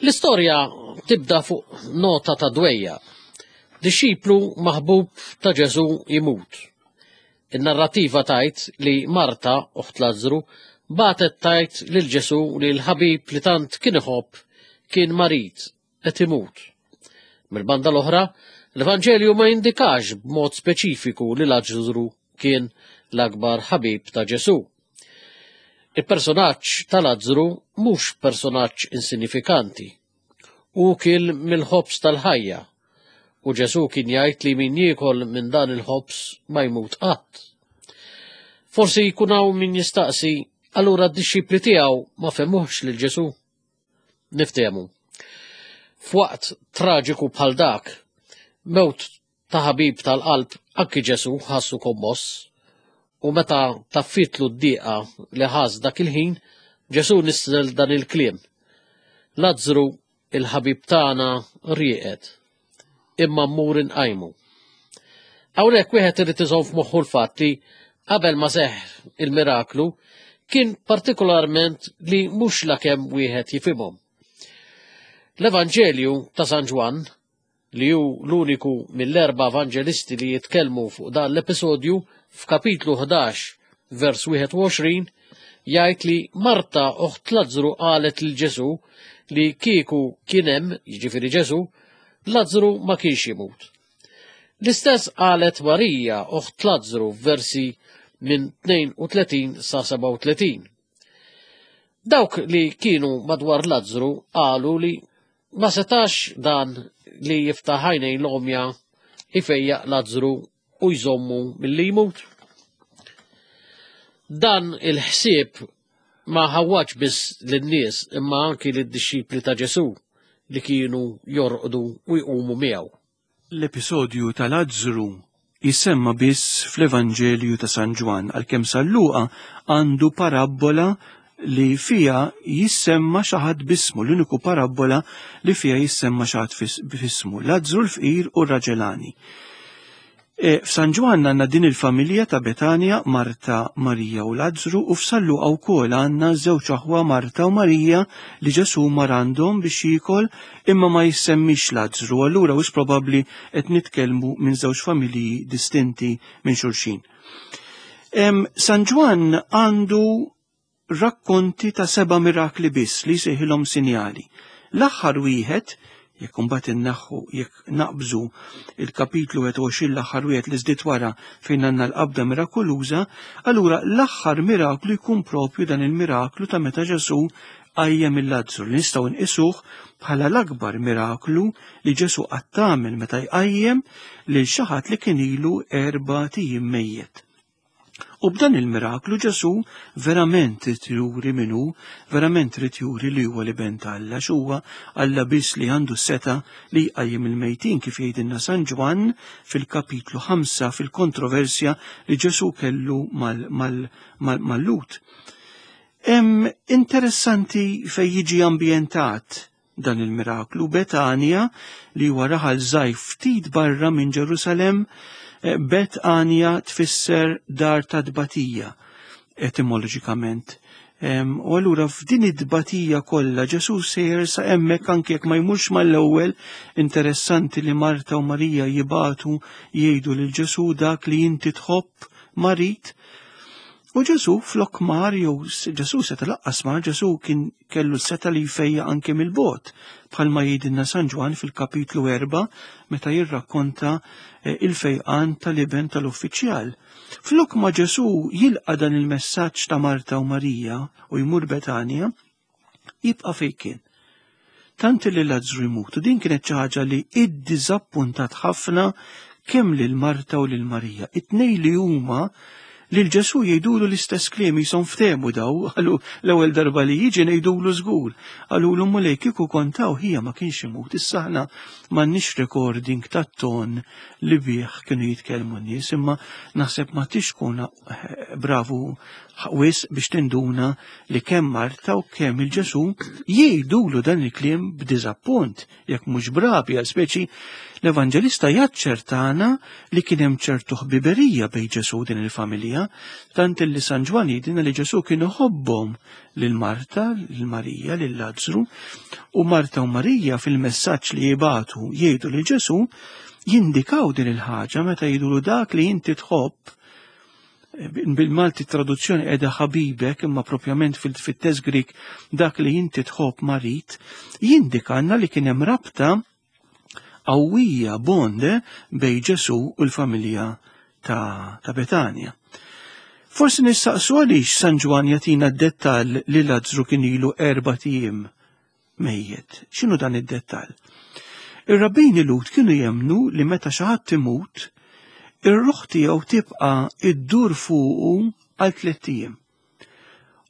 L-istorja tibda fuq nota ta' dwejja. Dixxiplu maħbub ta' Ġesù imut. In-narrativa tajt li Marta, uħt Lazzru, batet tajt lil Ġesù li l-ħabib li tant kien iħobb kien marid qed imut. Mill-banda l-oħra, l-Evanġelju ma jindikax b'mod speċifiku li Lazzru kien l-akbar ħabib ta' Ġesù. Il-personaġġ ta' Lazzru mhux personaġġ insignifikanti. Hu kien mill-ħobż tal-ħajja u Ġesù kien jgħid li min jiekol minn dan il-ħobż ma jmut qatt. Forsi jkun hawn min jistaqsi, allura d-dixxipli tiegħu ma fehmuhx lil Ġesù. Niftehmu. F'waqt traġiku bħal dak, mewt ta' ħabib tal-qalb, anki Ġesù ħassu kommoss. U meta taffitlu d-diqa li ħass dak il-ħin, Ġesù nisel dan il-kliem. Lazzru, il-ħabib tagħna, rieqed, imma mmur inqajmu. Hawnhekk wieħed irid iżomm f'moħħu l-fatt li qabel ma seħħ il-miraklu kien partikolarment li mhux lakemm wieħed jifhimhom. L-Evanġelju ta' San Ġwann, li hu l-uniku mill-erba' evanġelisti li jitkellmu fuq dan l-episodju, f'kapitlu ħdax vers wieħed u għoxrin jgħid li Marta oħt Lazzru qalet lil Ġesù li kieku kien hemm, jiġifieri Ġesù, Lazzru ma kienx imut. L-istess qalet Marija oħt Lazzru f'versi minn tnejn u tletin sa sebgħa u tletin. Dawk li kienu madwar Lazzru qalu li ma setax dan li jiftaħ għajnejn l-għomja ifejjaq Lazzru u jżommu milli jmut. Dan il-ħsieb ma ħawwaġ biss lin-nies imma anki lid-dixxipli ta' Ġesù li kienu jorqdu u jqumu miegħu. L-episodju ta' Lazzru jisemma biss fl-Evanġelju ta' San Ġwann, għalkemm San Luqa għandu parabbola li fija jissemma xi ħadd b'ismu, l-uniku parabbola li fija jissemma xi ħadd b'ismu, Lazzru l-fqir u r-raġelani. E, F'San Ġwann għandna din il-familja ta' Betanja, Marta, Marija u Lazzru, u f'San Luqa wkoll għandna żewġ aħwa Marta u Marija li Ġesù mar għandhom biex jiekol, imma ma jissemmix Lazzru, allura wis probabbli qed nitkellmu minn żewġ familji distinti minn xulxin. Em, San Ġwann għandu rakkonti ta' seba' mirakli biss li jsejħilhom sinjali. L-aħħar wieħed, jekk imbagħad inneħħu, jekk naqbżu il-kapitlu wieħed u għoxrin l-aħħar wieħed li żdied wara fejn għandna l-qabda mirakoluża, allura l-aħħar miraklu jkun propju dan il-miraklu ta' meta Ġesù qajjem il-Lazzru, li nistgħu nqisuh bħala l-akbar miraklu li Ġesù qatt għamel meta jqajjem lil xi ħadd li kien ilu erba' ijiem mejjet. U b'dan il-miraklu Ġesù verament irid juri min hu, verament irid juri li huwa l-Iben ta' Alla, x'huwa Alla biss li għandu s-seta li jqajjem il-mejtin, kif jgħidilna San Ġwann fil-kapitlu ħamsa fil-kontroversja li Ġesù kellu mal-, mal-, mal-, mal-Lhud. Hemm interessanti fejn jiġi ambjentat dan il-miraklu. Betanja, li huwa raħal żgħir ftit barra minn Ġerusalemm, Betanja tfisser dar ta' tbatija etimoloġikament. Em, u allura f'din id-tbatija kollha Ġesù sejjer sa hemmhekk anke jekk ma jmurx mal-ewwel. Interessanti li Marta u Marija jibatu jgħidu lil Ġesù dak li inti tħobb marid. U Ġesù flok mar, jew Ġesù seta' laqqas mar, Ġesù kien kellu s-seta' li jfejja anke mill-bogħod, bħalma jgħidilna San Ġwann fil-kapitlu erba' meta jirrakkonta, eh, il-fejqan tal-iben tal-uffiċjal. Flok ma Ġesù jilqa' dan il-messaġġ ta' Marta u Marija u jmur Betanja, jibqa' fejn kien. Tant li Lazzru jmut, u din kienet xi ħaġa li iddiżappuntat ħafna kemm lil Marta u lil Marija. It-tnejn li huma lil Ġesù jgħidulu l-istess kliem, jisom ftehmu daw, għalu l-ewwel darba li jiġi ngħidulu żgur. Għalulu Mulej kieku kontaw ħija ma kienx imut. Issa aħna m'għandniex recording tat-ton li bih kienu jitkellmu n-nies, imma naħseb ma tixkuna bravu wis biex tinduna li kemm Marta u kemm il-Ġesù jgħidulu dan il-kliem b'diżappunt, jekk mhux bravi, għal speċi l-Evanġelista jaċċertana li kien hemm ċertu ħbiberija bejn Ġesù din il-familja, tant li San Ġwann jgħidilna li Ġesù kien iħobbhom lil Marta, lil Marija, lil Lazzru, u Marta u Marija fil-messaġġ li jibatu jgħidu lil Ġesù jindikaw din il-ħaġa meta jgħidulu dak li inti tħobb. Bil-Malti traduzzjoni qiegħda ħabibek, imma propjament fil-, fit-test Grik dak li inti tħobb marid, jindikanna li kien hemm rabta qawwija bonde bejn Ġesù u l-familja ta', ta' Betanja. Forsi nistaqsu għaliex San Ġwann jagħtina d-dettall li Lazzru kien ilu erba' ijiem mejjet. X'inhu dan id-dettall? Ir-rabbini Lhud kienu jemmnu li meta xi ħadd imut, ir-ruħ tiegħu tibqa' iddur fuqu għal tliet ijiem.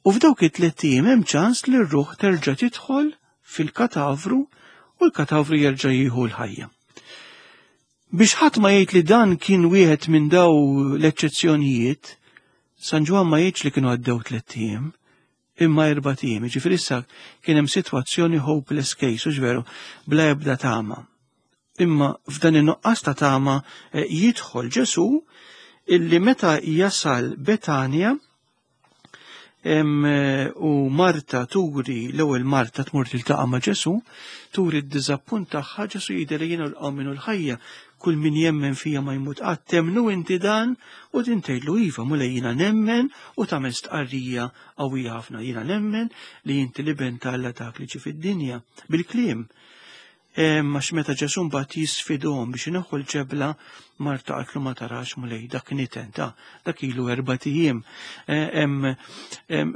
U f'dawk it-tliet ijiem hemm ċans li r-ruħ terġa' tidħol fil-katavru u l-katavru jerġa' jieħu l-ħajja. Biex ħadd ma jgħid li dan kien wieħed minn daw l-eċċezzjonijiet, San Ġwann ma jgħidx li kienu għaddew tlett ijiem, imma erbat ijiem, jiġifieri issa kien hemm sitwazzjoni hopeless case, hux veru, bla ebda tama. Imma f'dan in-nuqqas ta' tama eh, jidħol Ġesù illi meta jasal Betanja em, eh, u Marta turi, l-ewwel Marta tmur tiltaqa' ma' Ġesù, turi d-diżappunt tagħha, Ġesù jgħidilha jiena l-qawmien u l-ħajja, kull min jemmen fija ma jmut qatt, temmnu inti dan? U din tgħidlu iva, Mulej, jiena nemmen, u tagħmel stqarrija qawwija ħafna, jiena nemmen li inti l-Iben ta' Alla dak li ġie fid-dinja, bil-kliem. Għax meta Ġesù mbagħad jisfidhom biex ineħħu l-ġebla, Marta qaltlu ma tarax Mulej, dak niten ta' dak ilu erbat ijiem. Hemm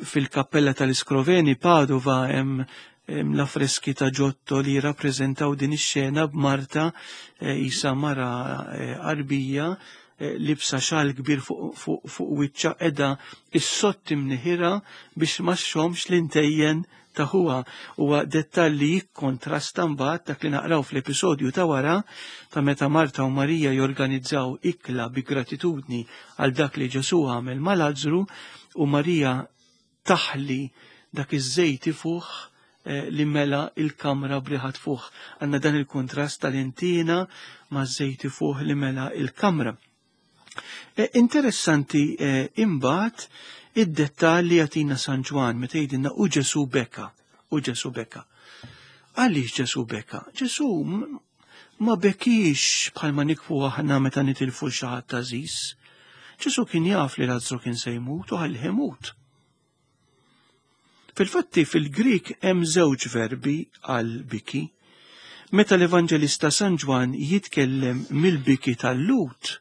fil-kappella tal-Iskroveni Padova hemm l-affreski ta' Giotto li jirrappreżentaw din ix-xena b'Marta isa mara qarbija libsa xal kbir fuq wiċċha qiegħda is-sotti mniħira biex ma xxommx l-intejjen ta' ħuha. Huwa dettall li jikkontrasta mbagħad dak li naqraw fl-episodju ta' wara ta' meta Marta u Marija jorganizzaw ikla bi gratitudni għal dak li Ġesù għamel ma' Lazzru u Marija taħli dak iż-żejt ifuħ li mela il-kamra briħat fuħ. Għandna dan il-kontrast tal-intina ma' żejt ifuħ li mela il-kamra. Interessanti imbagħad id-dettall li jagħtina San Ġwann meta jgħidilna u Ġesù beka, u Ġesù beka. Għaliex Ġesù beka? Ġesù ma bekiex bħalma nikfu aħna meta nitilfu xi ħadd għażiż. Ġesù kien jaf li Lazzru kien se jmut u ħallih imut. Fil-fatti fil-Grik hemm żewġ verbi għal biki. Meta l-Evanġelista San Ġwann jitkellem mill-biki tal-Lut,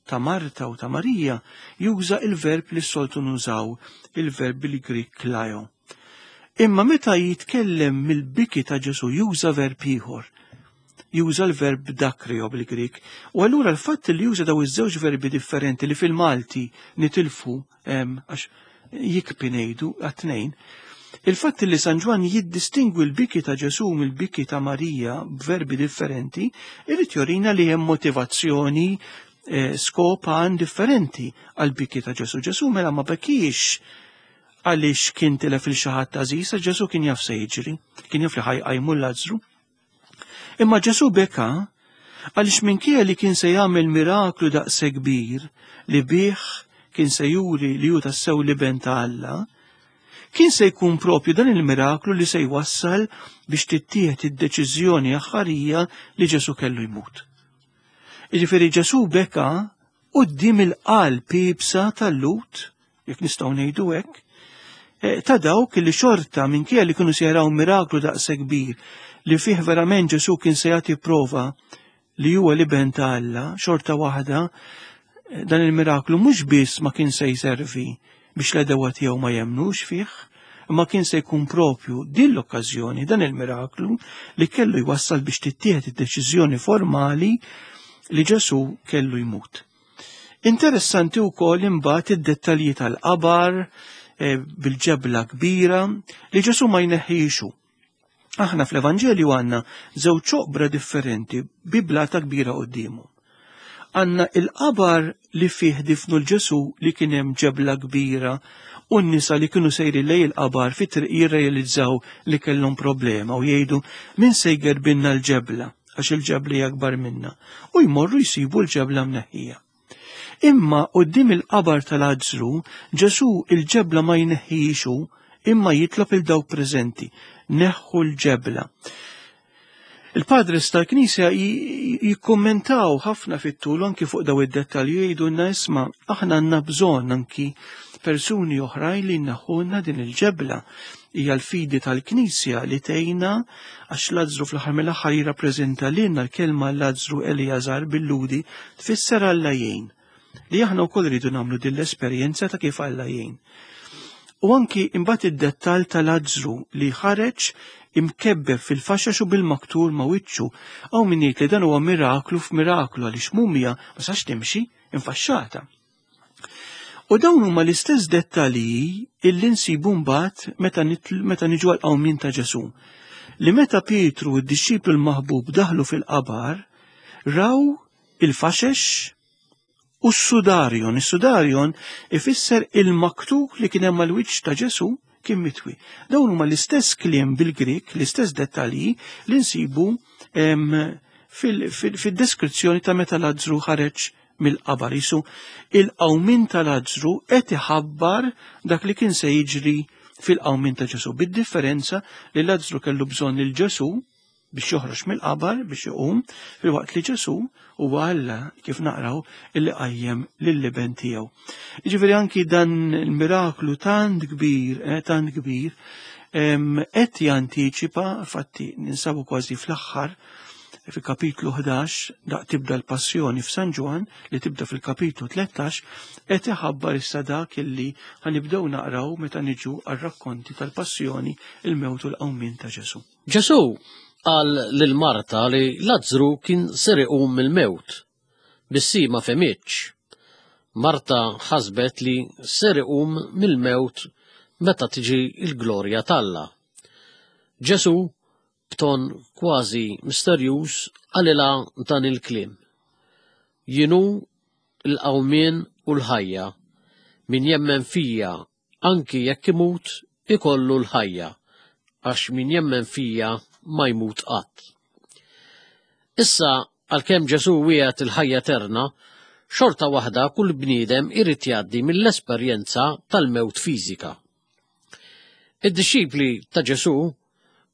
ta' Marta u ta' Marija, juża il-verb li s-soltu nużaw, il-verb bil-Grik klajo. Imma meta jitkellem mill-biki ta' Ġesù juża verb ieħor, juża l-verb dakrio bil-Grik. U allura l-fatt li juża daw iż-żewġ verbi differenti li fil-Malti nitilfu, għax jikpi ngħidu għat-tnejn, il-fatt li San Ġwann jiddistingwi l-biki ta' Ġesù mill-biki ta' Marija b'verbi differenti, irid jorina li hemm motivazzjoni, eh, skop għan differenti għal-biki ta' Ġesù. Ġesù mela ma bekiex għaliex kien tilef il xi ħadd għażiż, għax Ġesù kien jaf se jiġri, kien jaf li ħajqajmu Lazzru. Imma Ġesù beka għaliex minkejja li kien se jagħmel miraklu daqshekk kbir li bih kien se juri li hu tassew l-Iben ta' Alla, kien se jkun propju dan il-miraklu li se jwassal biex tittieħed id-deċiżjoni aħħarija li Ġesù kellu jmut. Jiġifieri Ġesù beka quddiem il-qalb iebsa tal-Lut, jekk nistgħu ngħidu hekk, eh, ta' dawk li xorta minkejja li kienu se jaraw miraklu daqshekk kbir li fih verament Ġesù kien se jagħti prova li huwa l-Iben ta' Alla, xorta waħda eh, dan il-miraklu mhux biss ma kien se jservi biex l-għedewwa tiegħu ma jemnux fih, imma kien se jkun propju din l-okkażjoni, dan il-miraklu li kellu jwassal biex tittieħed id-deċiżjoni formali li Ġesù kellu jmut. Interessanti wkoll imbagħad id-dettalji tal-qabar, eh, bil-ġebla kbira li Ġesù ma jneħħixu. Aħna fl-Evanġelju għandna żewġ oqbra differenti bi blata kbira quddiemu. Għandna il-qabar li fih difnu l-Ġesù li kien hemm ġebla kbira u n-nisa li kienu sejri lej il-qabar fit-triq jirrealizzaw li kellhom problema u jgħidu min se jgerbinna l-ġebla għax il-ġebla hija akbar minna u jmorru jsibu l-ġebla mneħħija. Imma quddiem il-qabar tal-Lazzru, Ġesù il-ġebla ma jneħħixu imma jitlob il dawk preżenti, neħħu l-ġebla. Il-padres tal-Knisja jikkommentaw ħafna fit-tul anki fuq daw id-dettalji jgħidulna isma' aħna għandna bżonn anki persuni oħrajn li jneħħulna din il-ġebla. Hija l-fidi tal-Knisja li tgħinna għax Lazzru fl-aħħar mill-aħħar jirrappreżenta lilna l-kelma Lazzru Eliazar bil-Ludi tfisser Alla jgħin. Li aħna wkoll rridu nagħmlu din l-esperjenza ta' kif Alla jgħin. U anki imbagħad id-dettall ta' Lazzru li ħareġ imkebbeb fil-faxxax u bil-maktur ma' wiċċu. Hawn min jgħid li dan huwa miraklu f'miraklu għaliex mumja ma sax timxi infaxxata. U dawn huma l-istess dettalji illi nsibu mbagħad meta nitl-, meta niġu għall-qawmien ta' Ġesù. Li meta Pietru u d-dixxiplu l-maħbub daħlu fil-qabar, raw il-faxex u s-sudarion. Is-sudarion ifisser il-maktub li kien hemm mal-wiċċ ta' Ġesù kien mitwi. Dawn huma l-istess kliem bil-Grik, l-istess dettalji li nsibu fil-deskrizzjoni ta' meta Lazzru ħareġ mill-qabar. Isu il-qawmien ta' Lazzru qed iħabbar dak li kien se jiġri fil-qawmien ta' Ġesù, bid-differenza li Lazzru kellu bżonn lil Ġesù biex joħroġ mill-qabar biex iqum, filwaqt li Ġesù huwa Alla kif naqraw illi qajjem lill-iben tiegħu. Jiġifieri anki dan il-miraklu tant kbir, eh, tant kbir, qed jantiċipa, fatti ninsabu kważi fl-aħħar fil-kapitlu ħdax, daq tibda l-passjoni f'San Ġwann li tibda fil-kapitlu tlettax, qed iħabbar issa dak illi ħanibdew naqraw meta niġu għar-rakkonti tal-passjoni, il-mewt u l-qawmien ta' Ġesù. Ġesù qal lil Marta li Lazzru kien ser iqum mill-mewt, biss hi ma fehmitx. Marta ħasbet li ser iqum mill-mewt meta tiġi l-glorja t'Alla. Ġesù b'ton kważi misterjuż qalilha dan il-kliem. Jien hu l-qawmien u l-ħajja, min jemmen fija anki jekk imut ikollu l-ħajja, għax min jemmen fija ma jmut qatt. Issa, għalkemm Ġesù wiegħed il-ħajja eterna, xorta waħda kull bniedem irid jgħaddi mill-esperjenza tal-mewt fiżika. Id-dixxipli ta' Ġesù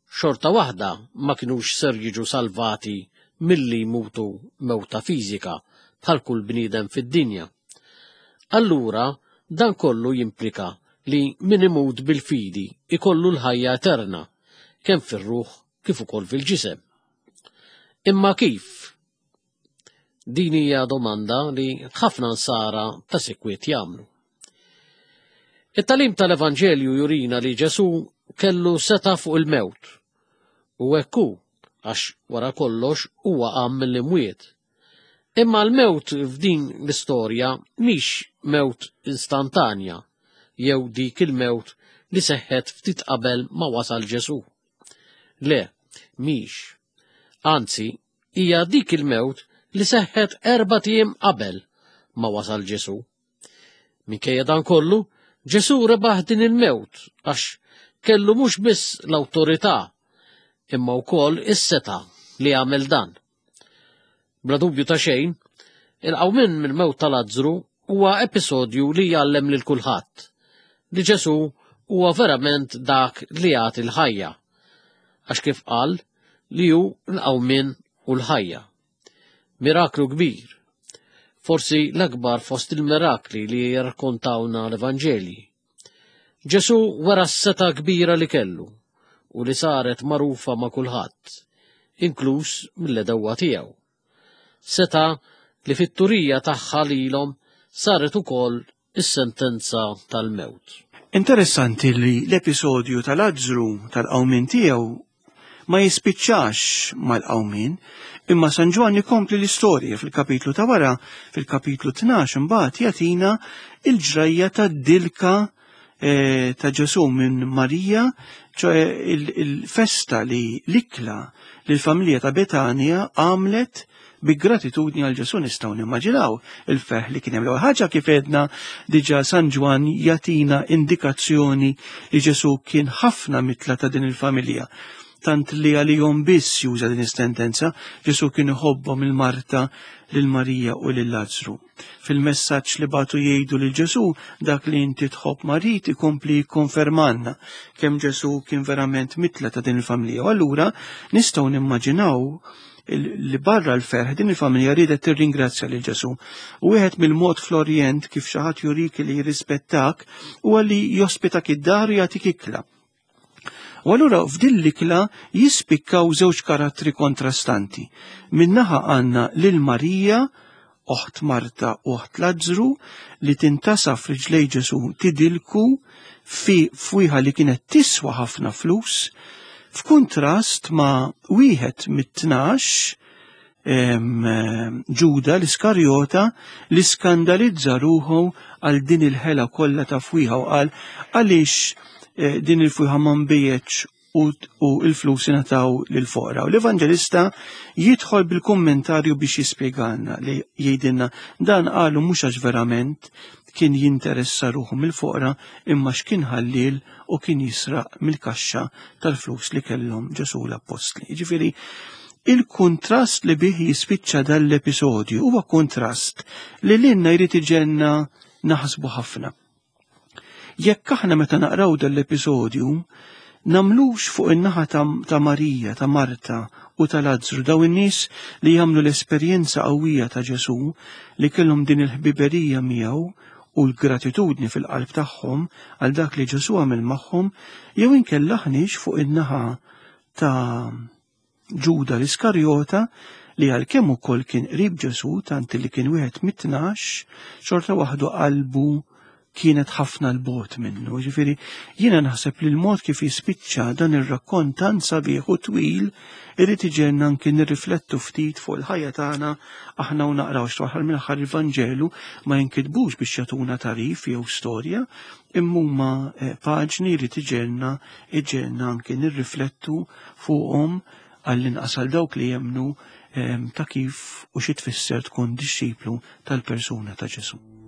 xorta waħda ma kinux ser jiġu salvati milli jmutu mewta fiżika bħal kull bniedem fid-dinja. Allura, dan kollu jimplika li min imut bil-fidi ikollu l-ħajja eterna, kemm fir-ruħ kif ukoll fil-ġisem. Imma kif? Din hija domanda li ħafna nsara ta' sikwit jagħmlu. It-tagħlim tal-Evanġelju jurina li Ġesù kellu seta' fuq il-mewt. U hekk hu, għax wara kollox huwa qam mill-imwiet. Imma l-mewt f'din l-istorja mhix mewt instantanja, jew dik il-mewt li seħħet ftit qabel ma wasal Ġesù. Le, mhix. Anzi, hija dik il-mewt li seħħet erbat ijiem qabel ma wasal Ġesù. Minkejja dan kollu, Ġesù rebaħ din il-mewt għax kellu mhux biss l-awtorità, imma wkoll is-seta' li għamel dan. Bla dubju ta' xejn, il-qawmien mill-mewt ta' Lazzru huwa episodju li jgħallem lil kulħadd li Ġesù huwa verament dak li jagħti l-ħajja, għax kif qal li hu l-qawmien u l-ħajja. Miraklu kbir, forsi l-akbar fost il-mirakli li jirrakkontawna l-Evanġelji. Ġesù wera s-seta kbira li kellu u li saret magħrufa ma' kulħadd, inkluż mill-edewwa tiegħu. Seta li fit-turija tagħha lilhom saret ukoll is-sentenza tal-mewt. Interessanti li l-episodju ta' Lazzru tal-qawmien tiegħu ma jispiċċax mal-qawmien, imma San Ġwann ikompli l-istorja fil-kapitlu ta' wara, fil-kapitlu tnax imbagħad jagħtina il-ġrajja tad-dilka eh, ta' Ġesù minn Marija, ċoe il-festa li l-ikla li l-familja ta' Betania għamlet bi gratitudni għal Ġesù. Nistgħu nimmaġinaw il-ferħ li kien hemm. L-ewwel ħaġa kif għedna diġà San Ġwann jagħtina indikazzjoni li Ġesù kien ħafna mitla ta' din il-familja, tant li għalihom biss juża din is-sentenza. Ġesù kien iħobbhom lil Marta, lil Marija u lil Lazzru. Fil-messaġġ li bagħtu jgħidu lil Ġesù, dak li inti tħobb marid, ikompli jikkonfermanna kemm Ġesù kien verament mitla ta' din il-familja. U allura nistgħu nimmaġinaw li barra l-ferħ din il-familja riedet tirringrazzja lil Ġesù. U wieħed mill-mod fl-Orjent kif xi ħadd jurik li jirrispettak huwa li jospitak id-dar u jagħtik ikla. U allura f'din l-ikla jispikkaw żewġ karattri kontrastanti. Min-naħa għandna lil Marija, oħt Marta u oħt Lazzru, li tintasaf riġlej Ġesù tidilku fi fwieħa li kienet tiswa ħafna flus, f'kuntrast ma' wieħed mit-tnax, em, Ġuda l-Iskarjota, li skandalizza ruħu għal din il-ħela kollha ta' fwieħa u qal għaliex, eh, din il-fwieħa ma nbiegħetx u, u il-flus ingħataw lill-foqra. U l-Evanġelista jidħol bil-kommentarju biex jispjegalna li jgħidilna dan qalu mhux għax verament kien jinteressa ruħu mill-foqra imma x'kien ħallil u kien jisraq mill-kaxxa tal-flus li kellhom Ġesù l-Appostli. Jiġifieri il-kontrast li bih jispiċċa dal-episodju huwa kontrast li lilna jrid iġenna naħsbu ħafna. Jekk aħna meta naqraw dal-episodju nagħmlux fuq in-naħa ta', ta' Marija, ta' Marta u ta' Lazzru, daw in-nies li jagħmlu l-esperjenza qawwija ta' Ġesù li kellhom din il-ħbiberija miegħu u l-gratitudni fil-qalb tagħhom għal dak li Ġesù għamel magħhom, jew inkella aħniex fuq in-naħa ta' Ġuda l-Iskarjota li għalkemm ukoll kien qrib Ġesù tant li kien wieħed mit-tnax, xorta waħdu qalbu kienet ħafna l-bogħod minnu. Ġifieri jiena naħseb li l-mod kif jispiċċa dan ir-rakkont tant sabiħ u twil irid iġenna anki nirriflettu ftit fuq il-ħajja tagħna aħna u naqraw x'waħal mill-aħħar il-Vanġelu ma jinkitbux biex jagħtuna tarif jew storja, imma huma eh, paġni jrid iġenna iġenna anki nirriflettu fuqhom għall-inqas għal dawk li jemmnu eh, ta' kif u xi tfisser tkun dixxiplu tal-persuna ta' Ġesù.